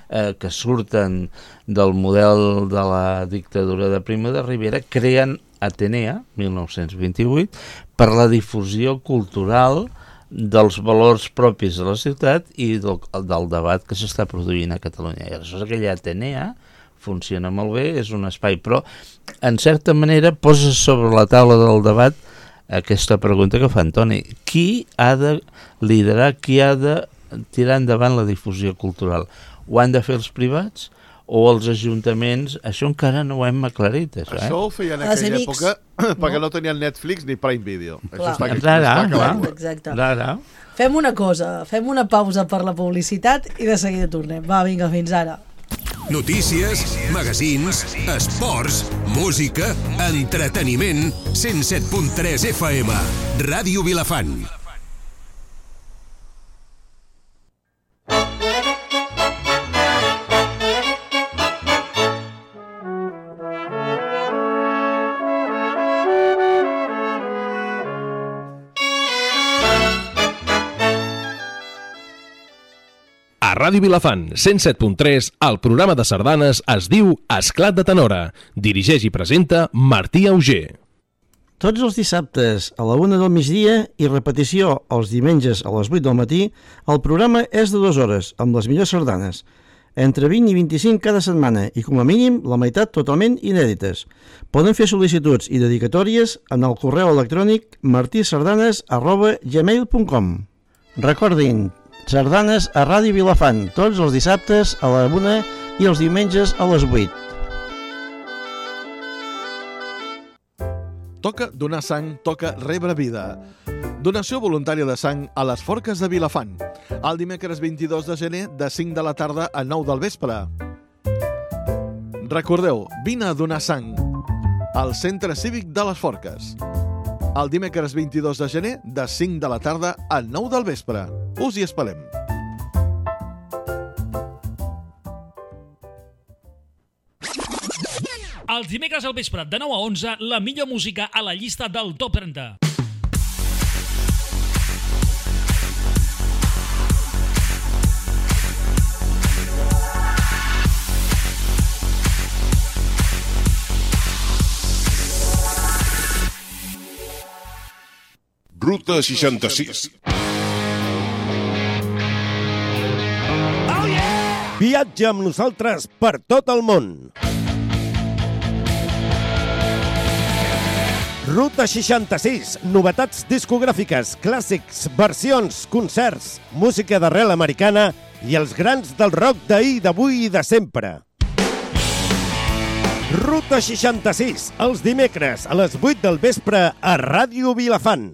Speaker 5: eh, que surten del model de la dictadura de Primo de Rivera, creen Atenea, mil nou-cents vint-i-vuit, per la difusió cultural dels valors propis de la ciutat i del, del debat que s'està produint a Catalunya. I aleshores aquella Atenea funciona molt bé, és un espai, però en certa manera posa sobre la taula del debat aquesta pregunta que fa Antoni. Qui ha de liderar, qui ha de tirar endavant la difusió cultural? Ho han de fer els privats o els ajuntaments? Això encara no ho hem aclarit. Això, eh?
Speaker 4: Això ho feien en aquella època perquè no tenien Netflix ni Prime Video.
Speaker 1: Clar.
Speaker 4: Això està,
Speaker 5: Rara,
Speaker 4: està clar.
Speaker 1: Exacte.
Speaker 5: Rara.
Speaker 1: Fem una cosa, fem una pausa per la publicitat i de seguida tornem. Va, vinga, fins ara.
Speaker 7: Notícies, magazins, esports, música, entreteniment, cent set punt tres F M, Ràdio Vilafant.
Speaker 8: A Ràdio Vilafant, cent set punt tres, el programa de sardanes es diu Esclat de Tenora. Dirigeix i presenta Martí Auger.
Speaker 9: Tots els dissabtes a la una del migdia i repetició els diumenges a les vuit del matí, el programa és de dues hores, amb les millors sardanes. Entre vint i vint-i-cinc cada setmana i, com a mínim, la meitat totalment inèdites. Poden fer sol·licituds i dedicatòries en el correu electrònic martisardanes arroba gmail punt com. Recordin, sardanes a Ràdio Vilafant, tots els dissabtes a la una i els diumenges a les vuit.
Speaker 4: Toca donar sang, toca rebre vida. Donació voluntària de sang a les Forques de Vilafant. El dimecres vint-i-dos de gener de cinc de la tarda a nou del vespre. Recordeu, vine a donar sang al Centre Cívic de les Forques. El dimecres vint-i-dos de gener de cinc de la tarda a nou del vespre. Us hi esperem.
Speaker 10: Els dimecres al vespre de nou a onze, la millor música a la llista del Top trenta.
Speaker 7: Ruta seixanta-sis.
Speaker 10: Oh yeah!
Speaker 11: Viatja amb nosaltres per tot el món. Ruta seixanta-sis, novetats discogràfiques, clàssics, versions, concerts, música d'arrel americana i els grans del rock d'ahir, d'avui i de sempre. Ruta seixanta-sis, els dimecres a les vuit del vespre a Ràdio Vilafant.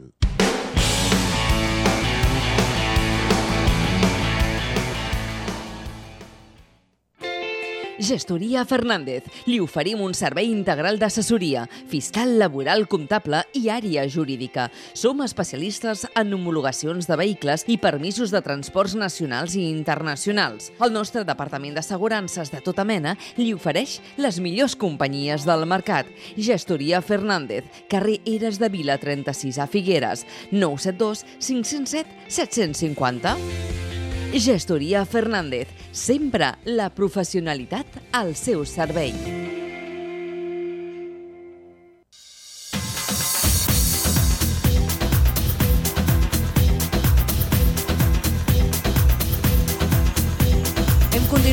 Speaker 12: Gestoria Fernández. Li oferim un servei integral d'assessoria, fiscal, laboral, comptable i àrea jurídica. Som especialistes en homologacions de vehicles i permisos de transports nacionals i internacionals. El nostre departament d'assegurances de tota mena li ofereix les millors companyies del mercat. Gestoria Fernández, carrer Eres de Vila trenta-sis a Figueres, nou set dos cinc zero set set cinc zero. Gestoria Fernández, sempre la professionalitat al seu servei.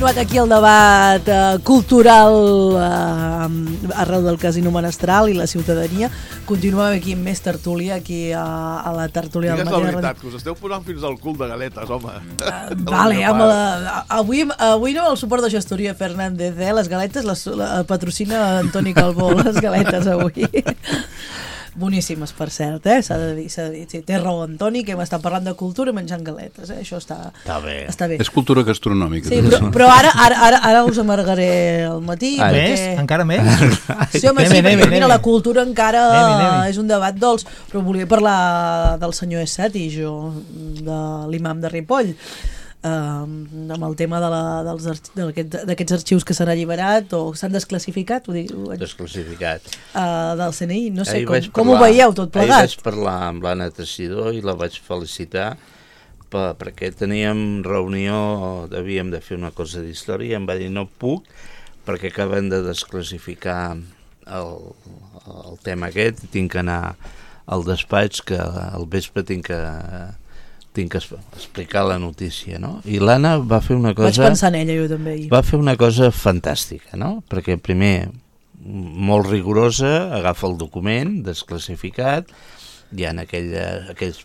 Speaker 1: continuat aquí el debat eh, cultural eh, arreu del Casino Menestral i la ciutadania. Continuem aquí amb més tertúlia, aquí a, a la tertúlia del
Speaker 4: Digues
Speaker 1: matí.
Speaker 4: la veritat, que us esteu posant fins al cul de galetes, home.
Speaker 1: Uh, vale, amb la, avui, avui no el suport de gestoria Fernández, eh? Les galetes les la, patrocina Antoni Calbó, les galetes avui. Boníssimes, per cert, eh? S'ha de dir, s'ha de dir. Sí, té raó Antoni, que hem estat parlant de cultura menjant galetes, eh? Això està,
Speaker 5: està, bé.
Speaker 1: està bé.
Speaker 2: És cultura gastronòmica.
Speaker 1: Sí, però, però ara, ara, ara, ara us amargaré al matí.
Speaker 3: Ah,
Speaker 1: perquè...
Speaker 3: més? Encara més?
Speaker 1: Sí, home, sí, perquè mira, la cultura encara
Speaker 3: nemi, nemi.
Speaker 1: és un debat dolç, però volia parlar del senyor Essati, jo, de l'imam de Ripoll. Uh, amb el tema de la, dels d'aquests d'aquests arxius que s'han alliberat o s'han desclassificat, ho dic, ho
Speaker 5: desclassificat
Speaker 1: uh, del C N I, no sé
Speaker 5: ahir
Speaker 1: com,
Speaker 5: parlar,
Speaker 1: com ho veieu tot plegat.
Speaker 5: Ahir vaig parlar amb l'Anna Teixidor i la vaig felicitar per, perquè teníem reunió, havíem de fer una cosa d'història, em va dir no puc perquè acaben de desclassificar el, el tema aquest, tinc que anar al despatx que al vespre tinc que tinc que explicar la notícia, no? I l'Anna va fer una cosa...
Speaker 1: Vaig pensar en ella, jo també.
Speaker 5: Va fer una cosa fantàstica, no? Perquè primer, molt rigorosa, agafa el document desclassificat, hi ha aquell, aquells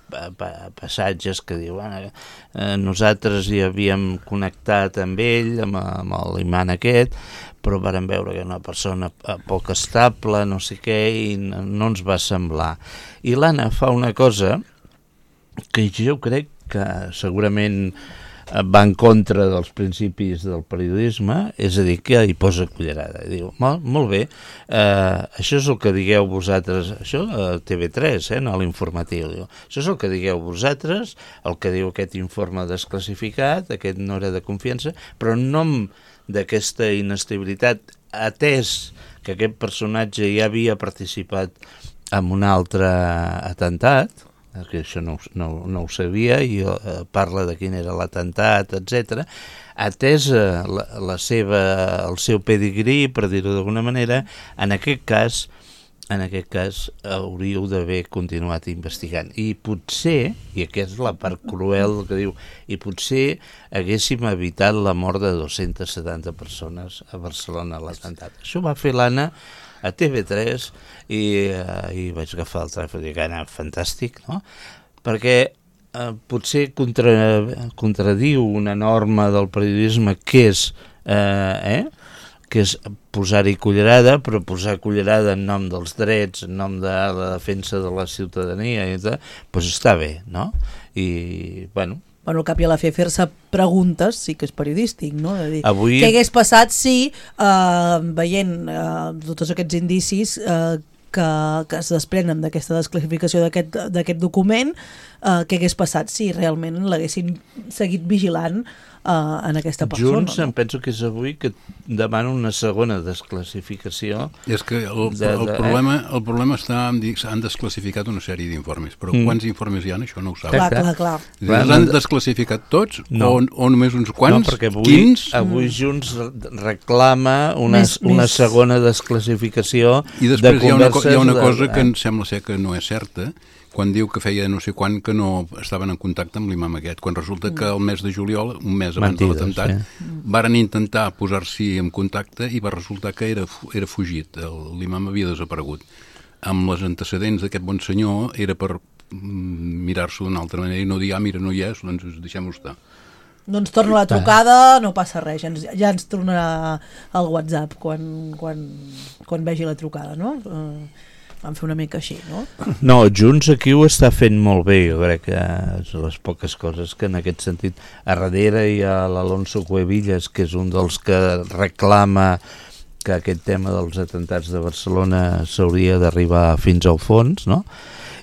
Speaker 5: passatges que diuen eh, nosaltres hi havíem connectat amb ell, amb, amb l'imant aquest, però vàrem veure que era una persona poc estable, no sé què, i no, no ens va semblar. I l'Anna fa una cosa que jo crec que segurament va en contra dels principis del periodisme, és a dir, que hi posa cullerada. I diu, molt, molt bé, eh, això és el que digueu vosaltres, això a T V tres, eh, no a l'informatiu, diu, això és el que digueu vosaltres, el que diu aquest informe desclassificat, aquest no era de confiança, però en nom d'aquesta inestabilitat, atès que aquest personatge ja havia participat en un altre atemptat, que això no, no, no ho sabia, i eh, parla de quin era l'atemptat, etcètera, atesa la, la seva, el seu pedigrí, per dir-ho d'alguna manera, en aquest cas, en aquest cas hauríeu d'haver continuat investigant. I potser, i aquesta és la part cruel que diu, i potser haguéssim evitat la mort de dues-centes setanta persones a Barcelona a l'atemptat. Això va fer l'Anna a T V tres i, uh, i vaig agafar el telèfon i dic, Anna, fantàstic, no? Perquè uh, potser contra, contradiu una norma del periodisme que és, uh, eh? que és posar-hi cullerada, però posar cullerada en nom dels drets, en nom de la defensa de la ciutadania, i tal, doncs està bé, no? I, bueno...
Speaker 1: Bueno, al cap i a la fi, fer-se preguntes sí que és periodístic, no? De dir,
Speaker 5: Avui...
Speaker 1: què hagués passat si, eh, veient eh, tots aquests indicis eh, que, que es desprenen d'aquesta desclassificació d'aquest document, eh, què hagués passat si realment l'haguessin seguit vigilant Uh, en aquesta persona.
Speaker 5: Junts, no? Em penso que és avui que demana una segona desclassificació.
Speaker 2: És que el,
Speaker 5: de, de,
Speaker 2: el, problema, el problema està en dir que s'han desclassificat una sèrie d'informes, però mm. quants informes hi ha, això no ho saben.
Speaker 1: Clar, clar, clar.
Speaker 2: Els han desclassificat tots no. o, o només uns quants?
Speaker 5: No, perquè avui,
Speaker 2: Quins?
Speaker 5: avui Junts reclama una, més, una més. segona desclassificació
Speaker 2: I després
Speaker 5: de
Speaker 2: hi ha una, hi ha una
Speaker 5: de,
Speaker 2: cosa
Speaker 5: eh?
Speaker 2: que em sembla ser que no és certa, quan diu que feia no sé quan que no estaven en contacte amb l'imam aquest, quan resulta que el mes de juliol, un mes abans Mentides, de l'atemptat, sí. varen intentar posar-s'hi en contacte i va resultar que era, era fugit, l'imam havia desaparegut. Amb les antecedents d'aquest bon senyor era per mirar-s'ho d'una altra manera i no dir, ah, mira, no hi és, doncs deixem-ho estar.
Speaker 1: Doncs torna la trucada, no passa res, ja ens, ja ens tornarà el WhatsApp quan, quan, quan vegi la trucada, no? Uh... Vam fer una mica així, no?
Speaker 5: No, Junts aquí ho està fent molt bé, jo crec que és les poques coses que en aquest sentit. A darrere hi ha l'Alonso Cuevillas, que és un dels que reclama que aquest tema dels atemptats de Barcelona s'hauria d'arribar fins al fons, no?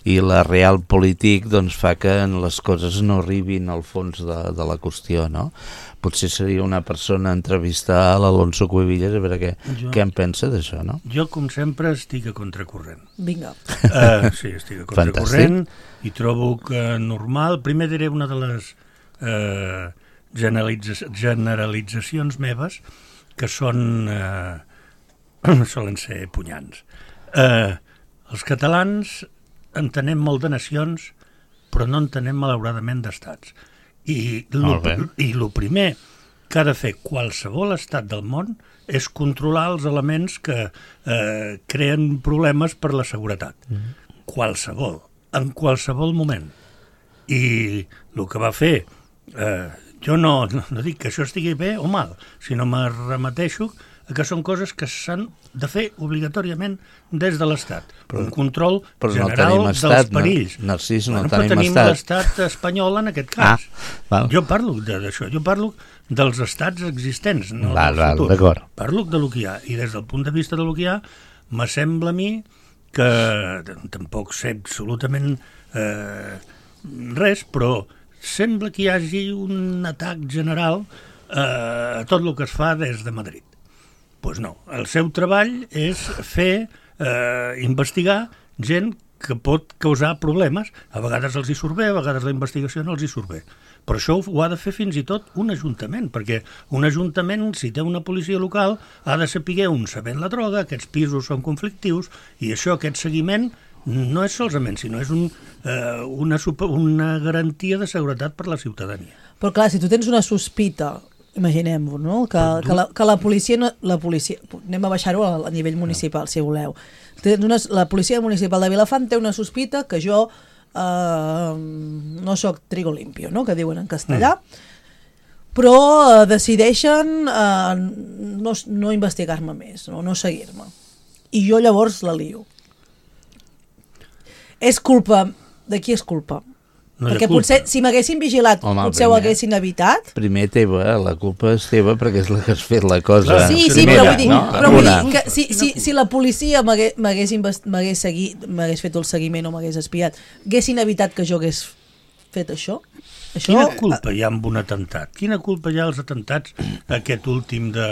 Speaker 5: I la Realpolitik doncs, fa que les coses no arribin al fons de, de la qüestió, no? Potser seria una persona entrevistar a l'Alonso Cuevillas a veure què, jo, què en pensa d'això, no?
Speaker 6: Jo, com sempre, estic a contracorrent.
Speaker 1: Vinga.
Speaker 6: Uh, sí, estic a contracorrent i trobo que normal... Primer diré una de les uh, generalitza generalitzacions meves que són... Uh, solen ser punyants. Uh, els catalans entenem molt de nacions, però no entenem malauradament d'estats. I lo, i lo primer que ha de fer qualsevol estat del món és controlar els elements que eh, creen problemes per la seguretat. Mm. Qualsevol, en qualsevol moment. I el que va fer, eh, jo no, no, no dic que això estigui bé o mal, sinó me remeteixo que són coses que s'han de fer obligatòriament des de l'Estat. Però, un control general no estat, dels perills.
Speaker 5: Narcís, no,
Speaker 6: bueno,
Speaker 5: tenim,
Speaker 6: tenim
Speaker 5: estat.
Speaker 6: l'estat espanyol en aquest cas.
Speaker 5: Ah,
Speaker 6: jo parlo d'això, jo parlo dels estats existents, no
Speaker 5: val,
Speaker 6: del futur.
Speaker 5: Val,
Speaker 6: parlo de lo que hi ha, i des del punt de vista de lo que hi ha, me sembla a mi que tampoc sé absolutament eh, res, però sembla que hi hagi un atac general eh, a tot el que es fa des de Madrid. Doncs pues no, el seu treball és fer, eh, investigar gent que pot causar problemes. A vegades els hi surt bé, a vegades la investigació no els hi surt bé. Però això ho ha de fer fins i tot un ajuntament, perquè un ajuntament, si té una policia local, ha de saber on se ven la droga, aquests pisos són conflictius, i això, aquest seguiment, no és solament, sinó és un, eh, una, super, una garantia de seguretat per la ciutadania.
Speaker 1: Però clar, si tu tens una sospita, imaginem-ho, no? que, que, la, que la policia, no, la policia, anem a baixar-ho a, a nivell municipal, si voleu. Tens una, la policia municipal de Vilafant té una sospita que jo eh, no sóc trigo limpio, no? Que diuen en castellà, mm. però eh, decideixen eh, no, no investigar-me més, no, no seguir-me. I jo llavors la lio. És culpa... De qui és culpa? No perquè potser, si m'haguessin vigilat, Home, potser primer, ho haguessin evitat.
Speaker 5: Primer teva, la culpa és teva perquè és la que has fet la cosa.
Speaker 1: Sí, sí, primera, però vull dir, no? però vull dir que si, si, si la policia m'hagués seguit, m'hagués fet el seguiment o m'hagués espiat, haguessin evitat que jo hagués fet això? això?
Speaker 6: Quina culpa hi ha amb un atemptat? Quina culpa hi ha als atemptats, aquest últim de...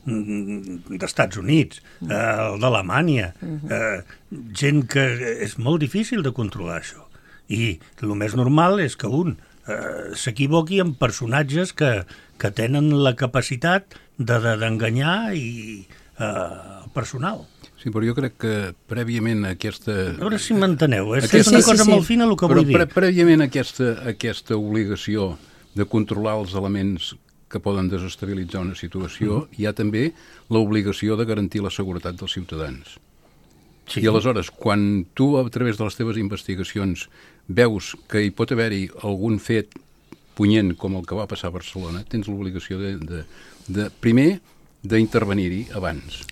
Speaker 6: d'Estats Units, eh, el d'Alemanya, eh, gent que és molt difícil de controlar això. I el més normal és que un eh, s'equivoqui amb personatges que, que tenen la capacitat d'enganyar de, de, i eh, el personal.
Speaker 2: Sí, però jo crec que prèviament aquesta...
Speaker 6: A veure si m'enteneu, és, aquesta... és una cosa sí, sí, molt fina el que
Speaker 2: però
Speaker 6: vull dir.
Speaker 2: Però prèviament aquesta, aquesta obligació de controlar els elements que poden desestabilitzar una situació, mm-hmm. hi ha també l'obligació de garantir la seguretat dels ciutadans. Sí. I aleshores, quan tu, a través de les teves investigacions, veus que hi pot haver-hi algun fet punyent com el que va passar a Barcelona, tens l'obligació de, de, de, primer, d'intervenir-hi abans.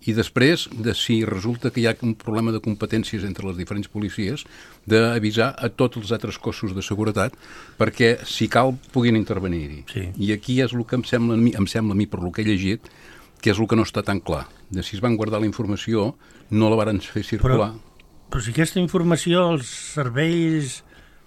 Speaker 2: I després, de si resulta que hi ha un problema de competències entre les diferents policies, d'avisar a tots els altres cossos de seguretat perquè, si cal, puguin intervenir-hi.
Speaker 6: Sí.
Speaker 2: I aquí és el que em sembla, em sembla a mi, per el que he llegit, que és el que no està tan clar. De si es van guardar la informació, no la varen fer circular.
Speaker 6: Però, però si aquesta informació, els serveis...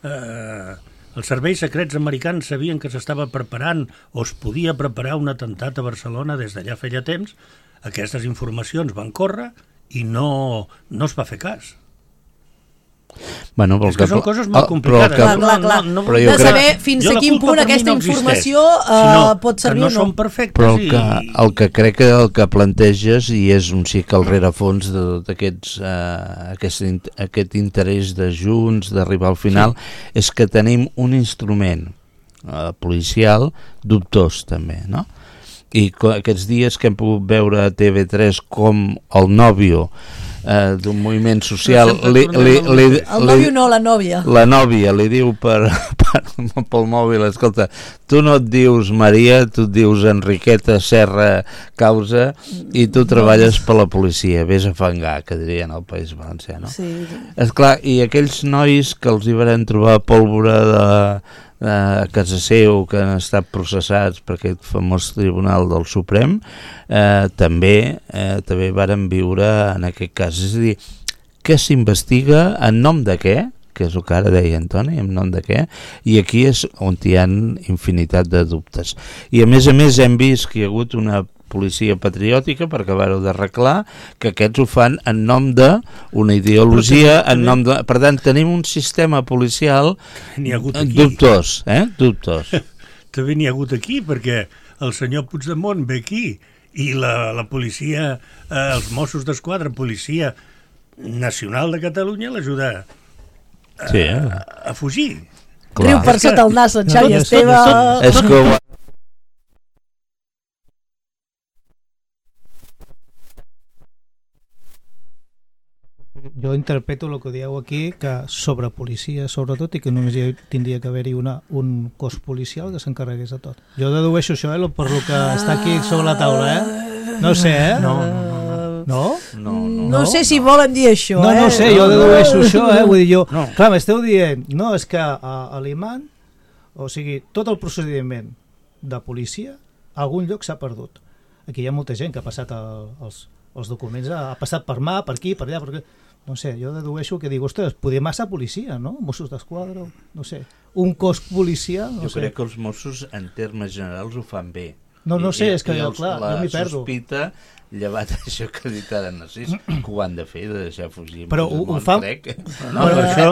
Speaker 6: Eh, els serveis secrets americans sabien que s'estava preparant o es podia preparar un atemptat a Barcelona des d'allà feia temps, aquestes informacions van córrer i no, no es va fer cas.
Speaker 5: Bueno,
Speaker 6: és que, que són coses molt complicades.
Speaker 1: Que... Clar, clar, clar. No, no, no, de saber crec... fins a quin punt aquesta no informació uh, pot servir
Speaker 6: no
Speaker 1: o no.
Speaker 6: Són perfectes.
Speaker 5: Però el que, el que crec que el que planteges, i és un xic al rerefons de tot aquests, uh, aquest, aquest interès de Junts, d'arribar al final, sí. és que tenim un instrument uh, policial dubtós també, no? I aquests dies que hem pogut veure a T V tres com el nòvio eh, d'un moviment social
Speaker 1: no li, li, li, el nòvio no, la nòvia
Speaker 5: la nòvia li diu per, per, pel mòbil, escolta, tu no et dius Maria, tu et dius Enriqueta Serra Causa i tu treballes per la policia, vés a fangar, que dirien al País Valencià, no?
Speaker 1: Sí.
Speaker 5: Esclar, i aquells nois que els hi van trobar pólvora de a casa seu, que han estat processats per aquest famós tribunal del Suprem, eh, també eh, també varen viure en aquest cas. És a dir, què s'investiga, en nom de què, que és el que ara deia Antoni, en nom de què, i aquí és on hi ha infinitat de dubtes. I a més a més hem vist que hi ha hagut una policia patriòtica, per acabar-ho d'arreglar, que aquests ho fan en nom d'una ideologia, en nom de... Per tant, tenim un sistema policial dubtós, eh? Dubtós.
Speaker 6: També n'hi ha hagut aquí, perquè el senyor Puigdemont ve aquí, i la, la policia, eh, els Mossos d'Esquadra, policia nacional de Catalunya, l'ajuda a,
Speaker 5: sí, eh?
Speaker 6: a, a fugir.
Speaker 1: Clar. Riu per sota el nas, en Xavi Esteve.
Speaker 5: És que
Speaker 3: jo interpreto el que dieu aquí, que sobre policia, sobretot, i que només hi tindria que haver-hi una, un cos policial que s'encarregués de tot. Jo dedueixo això, eh, per lo que està aquí sobre la taula, eh? No sé, eh?
Speaker 6: No, no, no.
Speaker 3: No?
Speaker 6: No, no,
Speaker 1: no sé si volen dir això,
Speaker 3: no,
Speaker 1: eh?
Speaker 3: No sé, jo dedueixo això, eh? Vull dir, jo...
Speaker 6: No.
Speaker 3: Clar, m'esteu dient, no, és que a, a l'imant, o sigui, tot el procediment de policia, a algun lloc s'ha perdut. Aquí hi ha molta gent que ha passat el, els, els documents, ha passat per mà, per aquí, per allà, per aquí. No sé, jo dedueixo que dic, ostres, poder massa policia, no? Mossos d'Esquadra, no sé. Un cos policial, no
Speaker 5: jo
Speaker 3: sé.
Speaker 5: crec que els Mossos, en termes generals, ho fan bé.
Speaker 3: No, no sé,
Speaker 5: I,
Speaker 3: és que jo,
Speaker 5: els,
Speaker 3: clar, jo m'hi perdo.
Speaker 5: La sospita, llevat això que ha dit ara Narcís, que ho han de fer, de deixar fugir.
Speaker 3: Però ho, ho fan...
Speaker 5: Crec.
Speaker 6: No, però això...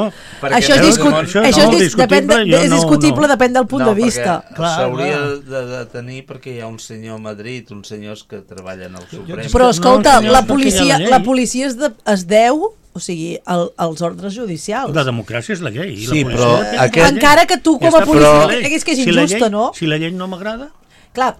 Speaker 1: Això és, discut... això això és, dis... depèn de... és discutible, no, no. Depèn del punt
Speaker 5: no,
Speaker 1: de vista.
Speaker 5: S'hauria de, de tenir perquè hi ha un senyor a Madrid, uns senyors que treballen al Suprem.
Speaker 1: Però escolta, no, la policia, la policia es, de, es deu... O sigui, el, els ordres judicials.
Speaker 6: La democràcia és la llei. I
Speaker 5: sí,
Speaker 6: la
Speaker 5: però...
Speaker 1: Aquest... Encara que tu, com a policia, creguis que és injusta, no?
Speaker 6: Si la llei no m'agrada...
Speaker 1: Clar,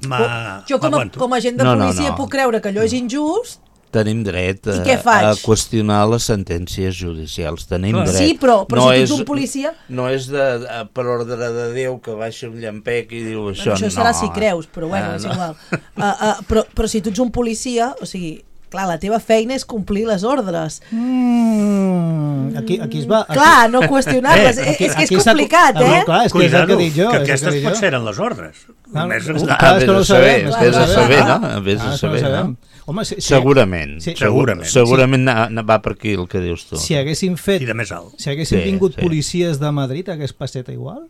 Speaker 1: jo com a, com a agent de
Speaker 5: no,
Speaker 1: policia
Speaker 5: no, no.
Speaker 1: puc creure que allò és injust.
Speaker 5: Tenim dret a, a qüestionar les sentències judicials. Tenim
Speaker 1: Clar.
Speaker 5: dret.
Speaker 1: Sí, però, però
Speaker 5: no
Speaker 1: si tu
Speaker 5: és,
Speaker 1: ets un policia...
Speaker 5: No és de, de, per ordre de Déu que baixa un llampec i diu això.
Speaker 1: Això
Speaker 5: no.
Speaker 1: serà si creus, però bueno,
Speaker 5: ah,
Speaker 1: és
Speaker 5: no.
Speaker 1: igual. Uh, uh, però, però si tu ets un policia, o sigui... Clar, la teva feina és complir les ordres.
Speaker 3: Mm, aquí, aquí es va... Aquí...
Speaker 1: Clar, no qüestionar-les. Eh, és que és complicat, eh?
Speaker 3: No, clar, és que
Speaker 6: Cuidado,
Speaker 3: és el que dic jo.
Speaker 6: Que aquestes pot ser en les ordres.
Speaker 3: No,
Speaker 6: Només
Speaker 3: no,
Speaker 6: està...
Speaker 3: clar, és que no ho sabem.
Speaker 5: Vés a saber, no? Vés a saber, no?
Speaker 3: Home, si, si,
Speaker 5: segurament.
Speaker 3: Si,
Speaker 6: segurament.
Speaker 5: Segurament sí. Va per aquí el que dius tu.
Speaker 3: Si haguessin fet...
Speaker 6: I de més alt.
Speaker 3: Si haguessin
Speaker 5: sí,
Speaker 3: vingut
Speaker 5: sí.
Speaker 3: policies de Madrid, hagués passat igual?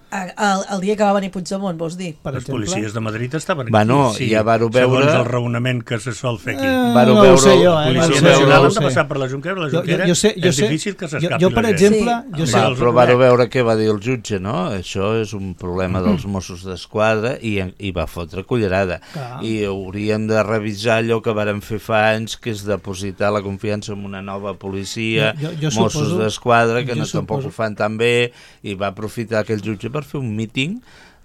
Speaker 1: El, el dia que va venir Puigdemont, vols dir?
Speaker 6: Per Els exemple? Policies de Madrid estaven aquí.
Speaker 5: Bueno,
Speaker 6: sí,
Speaker 5: ja vàreu veure...
Speaker 6: Segons el raonament que se sol fer aquí.
Speaker 3: Eh,
Speaker 5: vàreu
Speaker 3: no
Speaker 5: veure...
Speaker 3: ho sé jo, eh?
Speaker 6: La Policia
Speaker 3: no
Speaker 6: Nacional
Speaker 3: no
Speaker 6: han de passar per la Junquera, la Junquera
Speaker 3: jo, jo, jo sé, jo
Speaker 6: és
Speaker 3: sé,
Speaker 6: difícil que s'escapi
Speaker 3: jo, jo, per exemple, jo sé,
Speaker 5: va, però vàreu veure què va dir el jutge, no? Això és un problema dels Mossos d'Esquadra i, i va fotre cullerada.
Speaker 3: Clar.
Speaker 5: I hauríem de revisar allò que vàrem fer fa anys, que és depositar la confiança en una nova policia,
Speaker 3: jo, jo, jo
Speaker 5: Mossos
Speaker 3: suposo,
Speaker 5: d'Esquadra, que no
Speaker 3: suposo.
Speaker 5: tampoc ho fan tan bé, i va aprofitar aquell jutge per fer un míting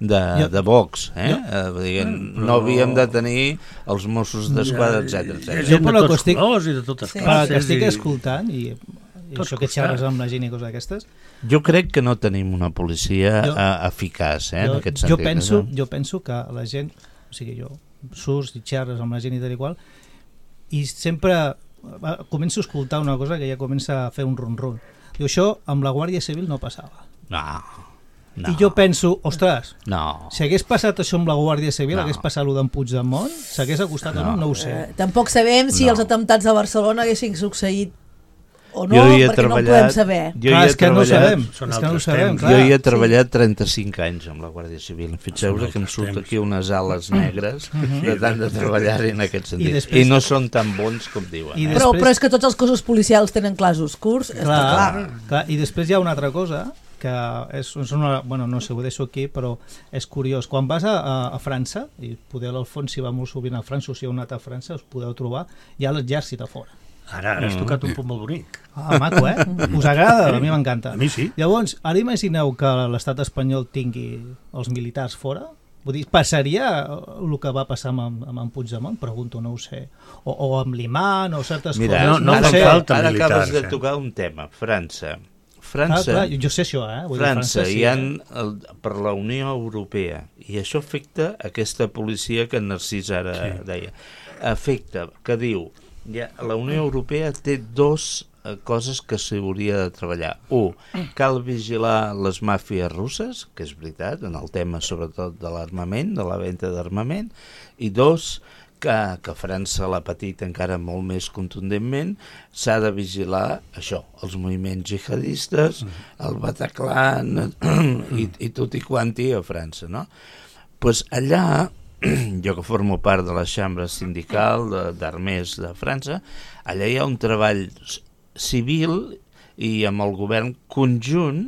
Speaker 5: de,
Speaker 3: jo,
Speaker 5: de Vox, eh?
Speaker 3: Jo,
Speaker 5: eh diguem, no, no havíem de tenir els Mossos d'Esquadra, etcètera, etcètera.
Speaker 6: Jo per la estic, i de totes
Speaker 3: sí.
Speaker 6: classes,
Speaker 3: que estic
Speaker 6: i...
Speaker 3: escoltant i, i això que xerres amb la gent i coses d'aquestes.
Speaker 5: Jo crec que no tenim una policia
Speaker 3: jo,
Speaker 5: uh, eficaç, eh,
Speaker 3: jo,
Speaker 5: en aquest sentit.
Speaker 3: Jo penso,
Speaker 5: no?
Speaker 3: jo penso que la gent, o sigui, jo surts i xerres amb la gent i tal i qual, i sempre uh, començo a escoltar una cosa que ja comença a fer un ron-ron. Diu, això amb la Guàrdia Civil no passava.
Speaker 5: No. No.
Speaker 3: I jo penso, ostres,
Speaker 5: no.
Speaker 3: si hagués passat això amb la Guàrdia Civil,
Speaker 5: no.
Speaker 3: hagués passat allò d'en Puigdemont, s'hagués acostat no. o no, no ho sé.
Speaker 1: Eh, tampoc sabem si no. els atemptats de Barcelona haguessin succeït o no,
Speaker 5: perquè
Speaker 1: treballat, no ho podem saber.
Speaker 5: Jo clar,
Speaker 3: és que no ho sabem. És que no ho sabem
Speaker 5: jo hi he treballat sí. trenta-cinc anys amb la Guàrdia Civil. Fixeu-vos que em surt aquí unes ales negres de tant de treballar-hi en aquest sentit. I, després... I no són tan bons com diuen. Eh?
Speaker 1: Però, després... però és que tots els cossos policials tenen clars oscurs, clar, està clar.
Speaker 3: clar. I després hi ha una altra cosa que és, és una, bueno, no sé, ho deixo aquí, però és curiós. Quan vas a, a, a França, i poder l'Alfons si va molt sovint a França o si heu anat a França, us podeu trobar, hi ha l'exèrcit a fora.
Speaker 6: Ara, ara has tocat un punt molt bonic.
Speaker 3: Ah, maco, eh? Us agrada? A mi m'encanta.
Speaker 6: A mi sí.
Speaker 3: Llavors, ara imagineu que l'estat espanyol tingui els militars fora? Vull dir, passaria el que va passar amb, amb en Puigdemont? Pregunto, no ho sé. O, o amb l'imant, o certes
Speaker 5: Mira,
Speaker 3: coses.
Speaker 5: No, no
Speaker 3: no
Speaker 5: sé.
Speaker 6: falta
Speaker 5: Ara
Speaker 6: militars,
Speaker 5: acabes de
Speaker 6: eh?
Speaker 5: tocar un tema. França. França,
Speaker 3: ah, clar, jo sé això, eh? Vull
Speaker 5: França,
Speaker 3: dir, França sí,
Speaker 5: hi ha
Speaker 3: eh?
Speaker 5: el, per la Unió Europea, i això afecta aquesta policia que en Narcís ara sí. deia, afecta, que diu, ja, la Unió Europea té dos eh, coses que s'hauria de treballar. Un, cal vigilar les màfies russes, que és veritat, en el tema sobretot de l'armament, de la venda d'armament, i dos, que, que França l'ha patit encara molt més contundentment, s'ha de vigilar això, els moviments jihadistes, el Bataclan i, i tot i quanti a França, no? Pues allà, jo que formo part de la xambra sindical d'armers de, de França, allà hi ha un treball civil i amb el govern conjunt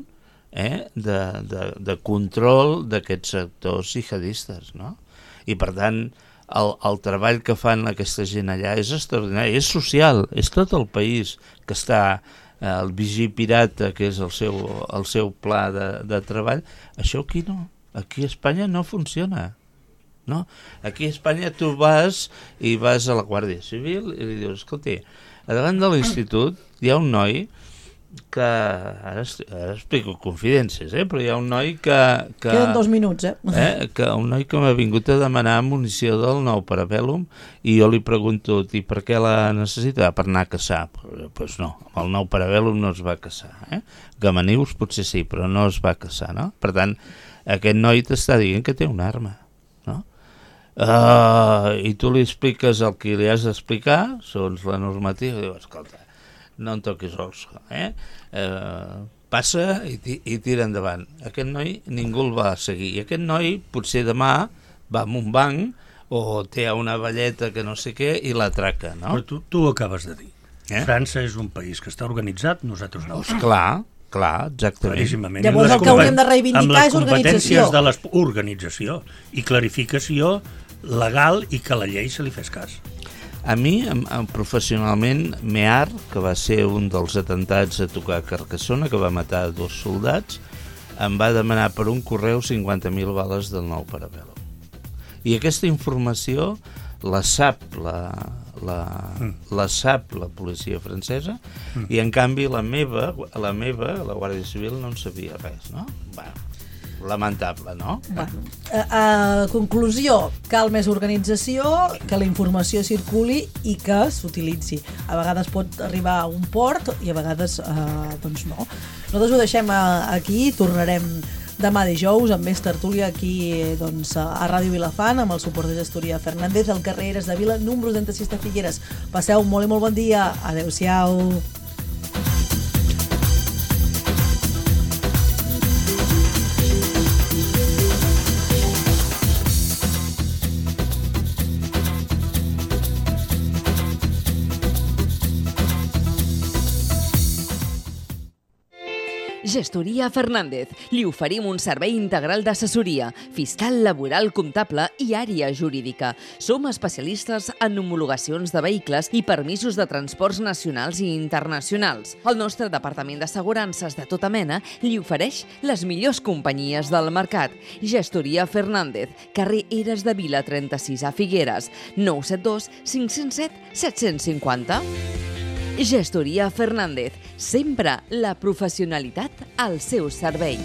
Speaker 5: eh, de, de, de control d'aquests sectors jihadistes, no? I per tant, El, el treball que fan aquesta gent allà és extraordinari, és social, és tot el país que està, eh, el Vigí Pirata, que és el seu, el seu pla de, de treball. Això aquí no, aquí a Espanya no funciona, no? Aquí a Espanya tu vas i vas a la Guàrdia Civil i li dius, escolti, a davant de l'institut hi ha un noi que, ara, ara explico confidències, eh? Però hi ha un noi que... que
Speaker 1: Queden dos minuts, eh?
Speaker 5: eh? Que un noi que m'ha vingut a demanar munició del nou Parabellum i jo li pregunto, i per què la necessita? Per anar a caçar. Doncs pues no, amb el nou Parabellum no es va caçar, eh? Gamanius potser sí, però no es va caçar, no? Per tant, aquest noi t'està dient que té una arma, no? Uh, I tu li expliques el que li has d'explicar, segons la normativa, i diu, escolta, no en toquis os, eh? Uh, passa i, i tira endavant. Aquest noi ningú el va seguir, i aquest noi potser demà va a un banc o té una velleta que no sé què i l'atraca, no?
Speaker 6: Però tu, tu ho acabes de dir. Eh? França és un país que està organitzat, nosaltres no.
Speaker 5: Pues clar, clar, exactament.
Speaker 1: Llavors el que hauríem de reivindicar és organització.
Speaker 6: Amb les competències de l'organització i clarificació legal i que la llei se li fes cas.
Speaker 5: A mi, professionalment, Mear, que va ser un dels atentats a tocar a Carcassona, que va matar dos soldats, em va demanar per un correu cinquanta mil bales del nou Parabellum. I aquesta informació la sap la, la, mm. la sap la policia francesa mm. i, en canvi, la meva, la meva, la Guàrdia Civil, no en sabia res, no? Bueno, lamentable, no?
Speaker 1: Bueno, a, a conclusió, cal més organització, que la informació circuli i que s'utilitzi. A vegades pot arribar a un port i a vegades eh, doncs no. Nosaltres ho deixem aquí, tornarem demà dijous amb més tertúlia aquí doncs, a Ràdio Vilafant amb el suport de Gestoria Fernández al carrer Eres de Vila, número trenta-sis de Figueres. Passeu molt i molt bon dia. Adéu-siau.
Speaker 12: Gestoria Fernández. Li oferim un servei integral d'assessoria, fiscal, laboral, comptable i àrea jurídica. Som especialistes en homologacions de vehicles i permisos de transports nacionals i internacionals. El nostre departament d'assegurances de tota mena li ofereix les millors companyies del mercat. Gestoria Fernández, carrer Eres de Vila trenta-sis a Figueres, nou set dos cinc zero set set cinc zero. Gestoria Fernández, sempre la professionalitat al seu servei.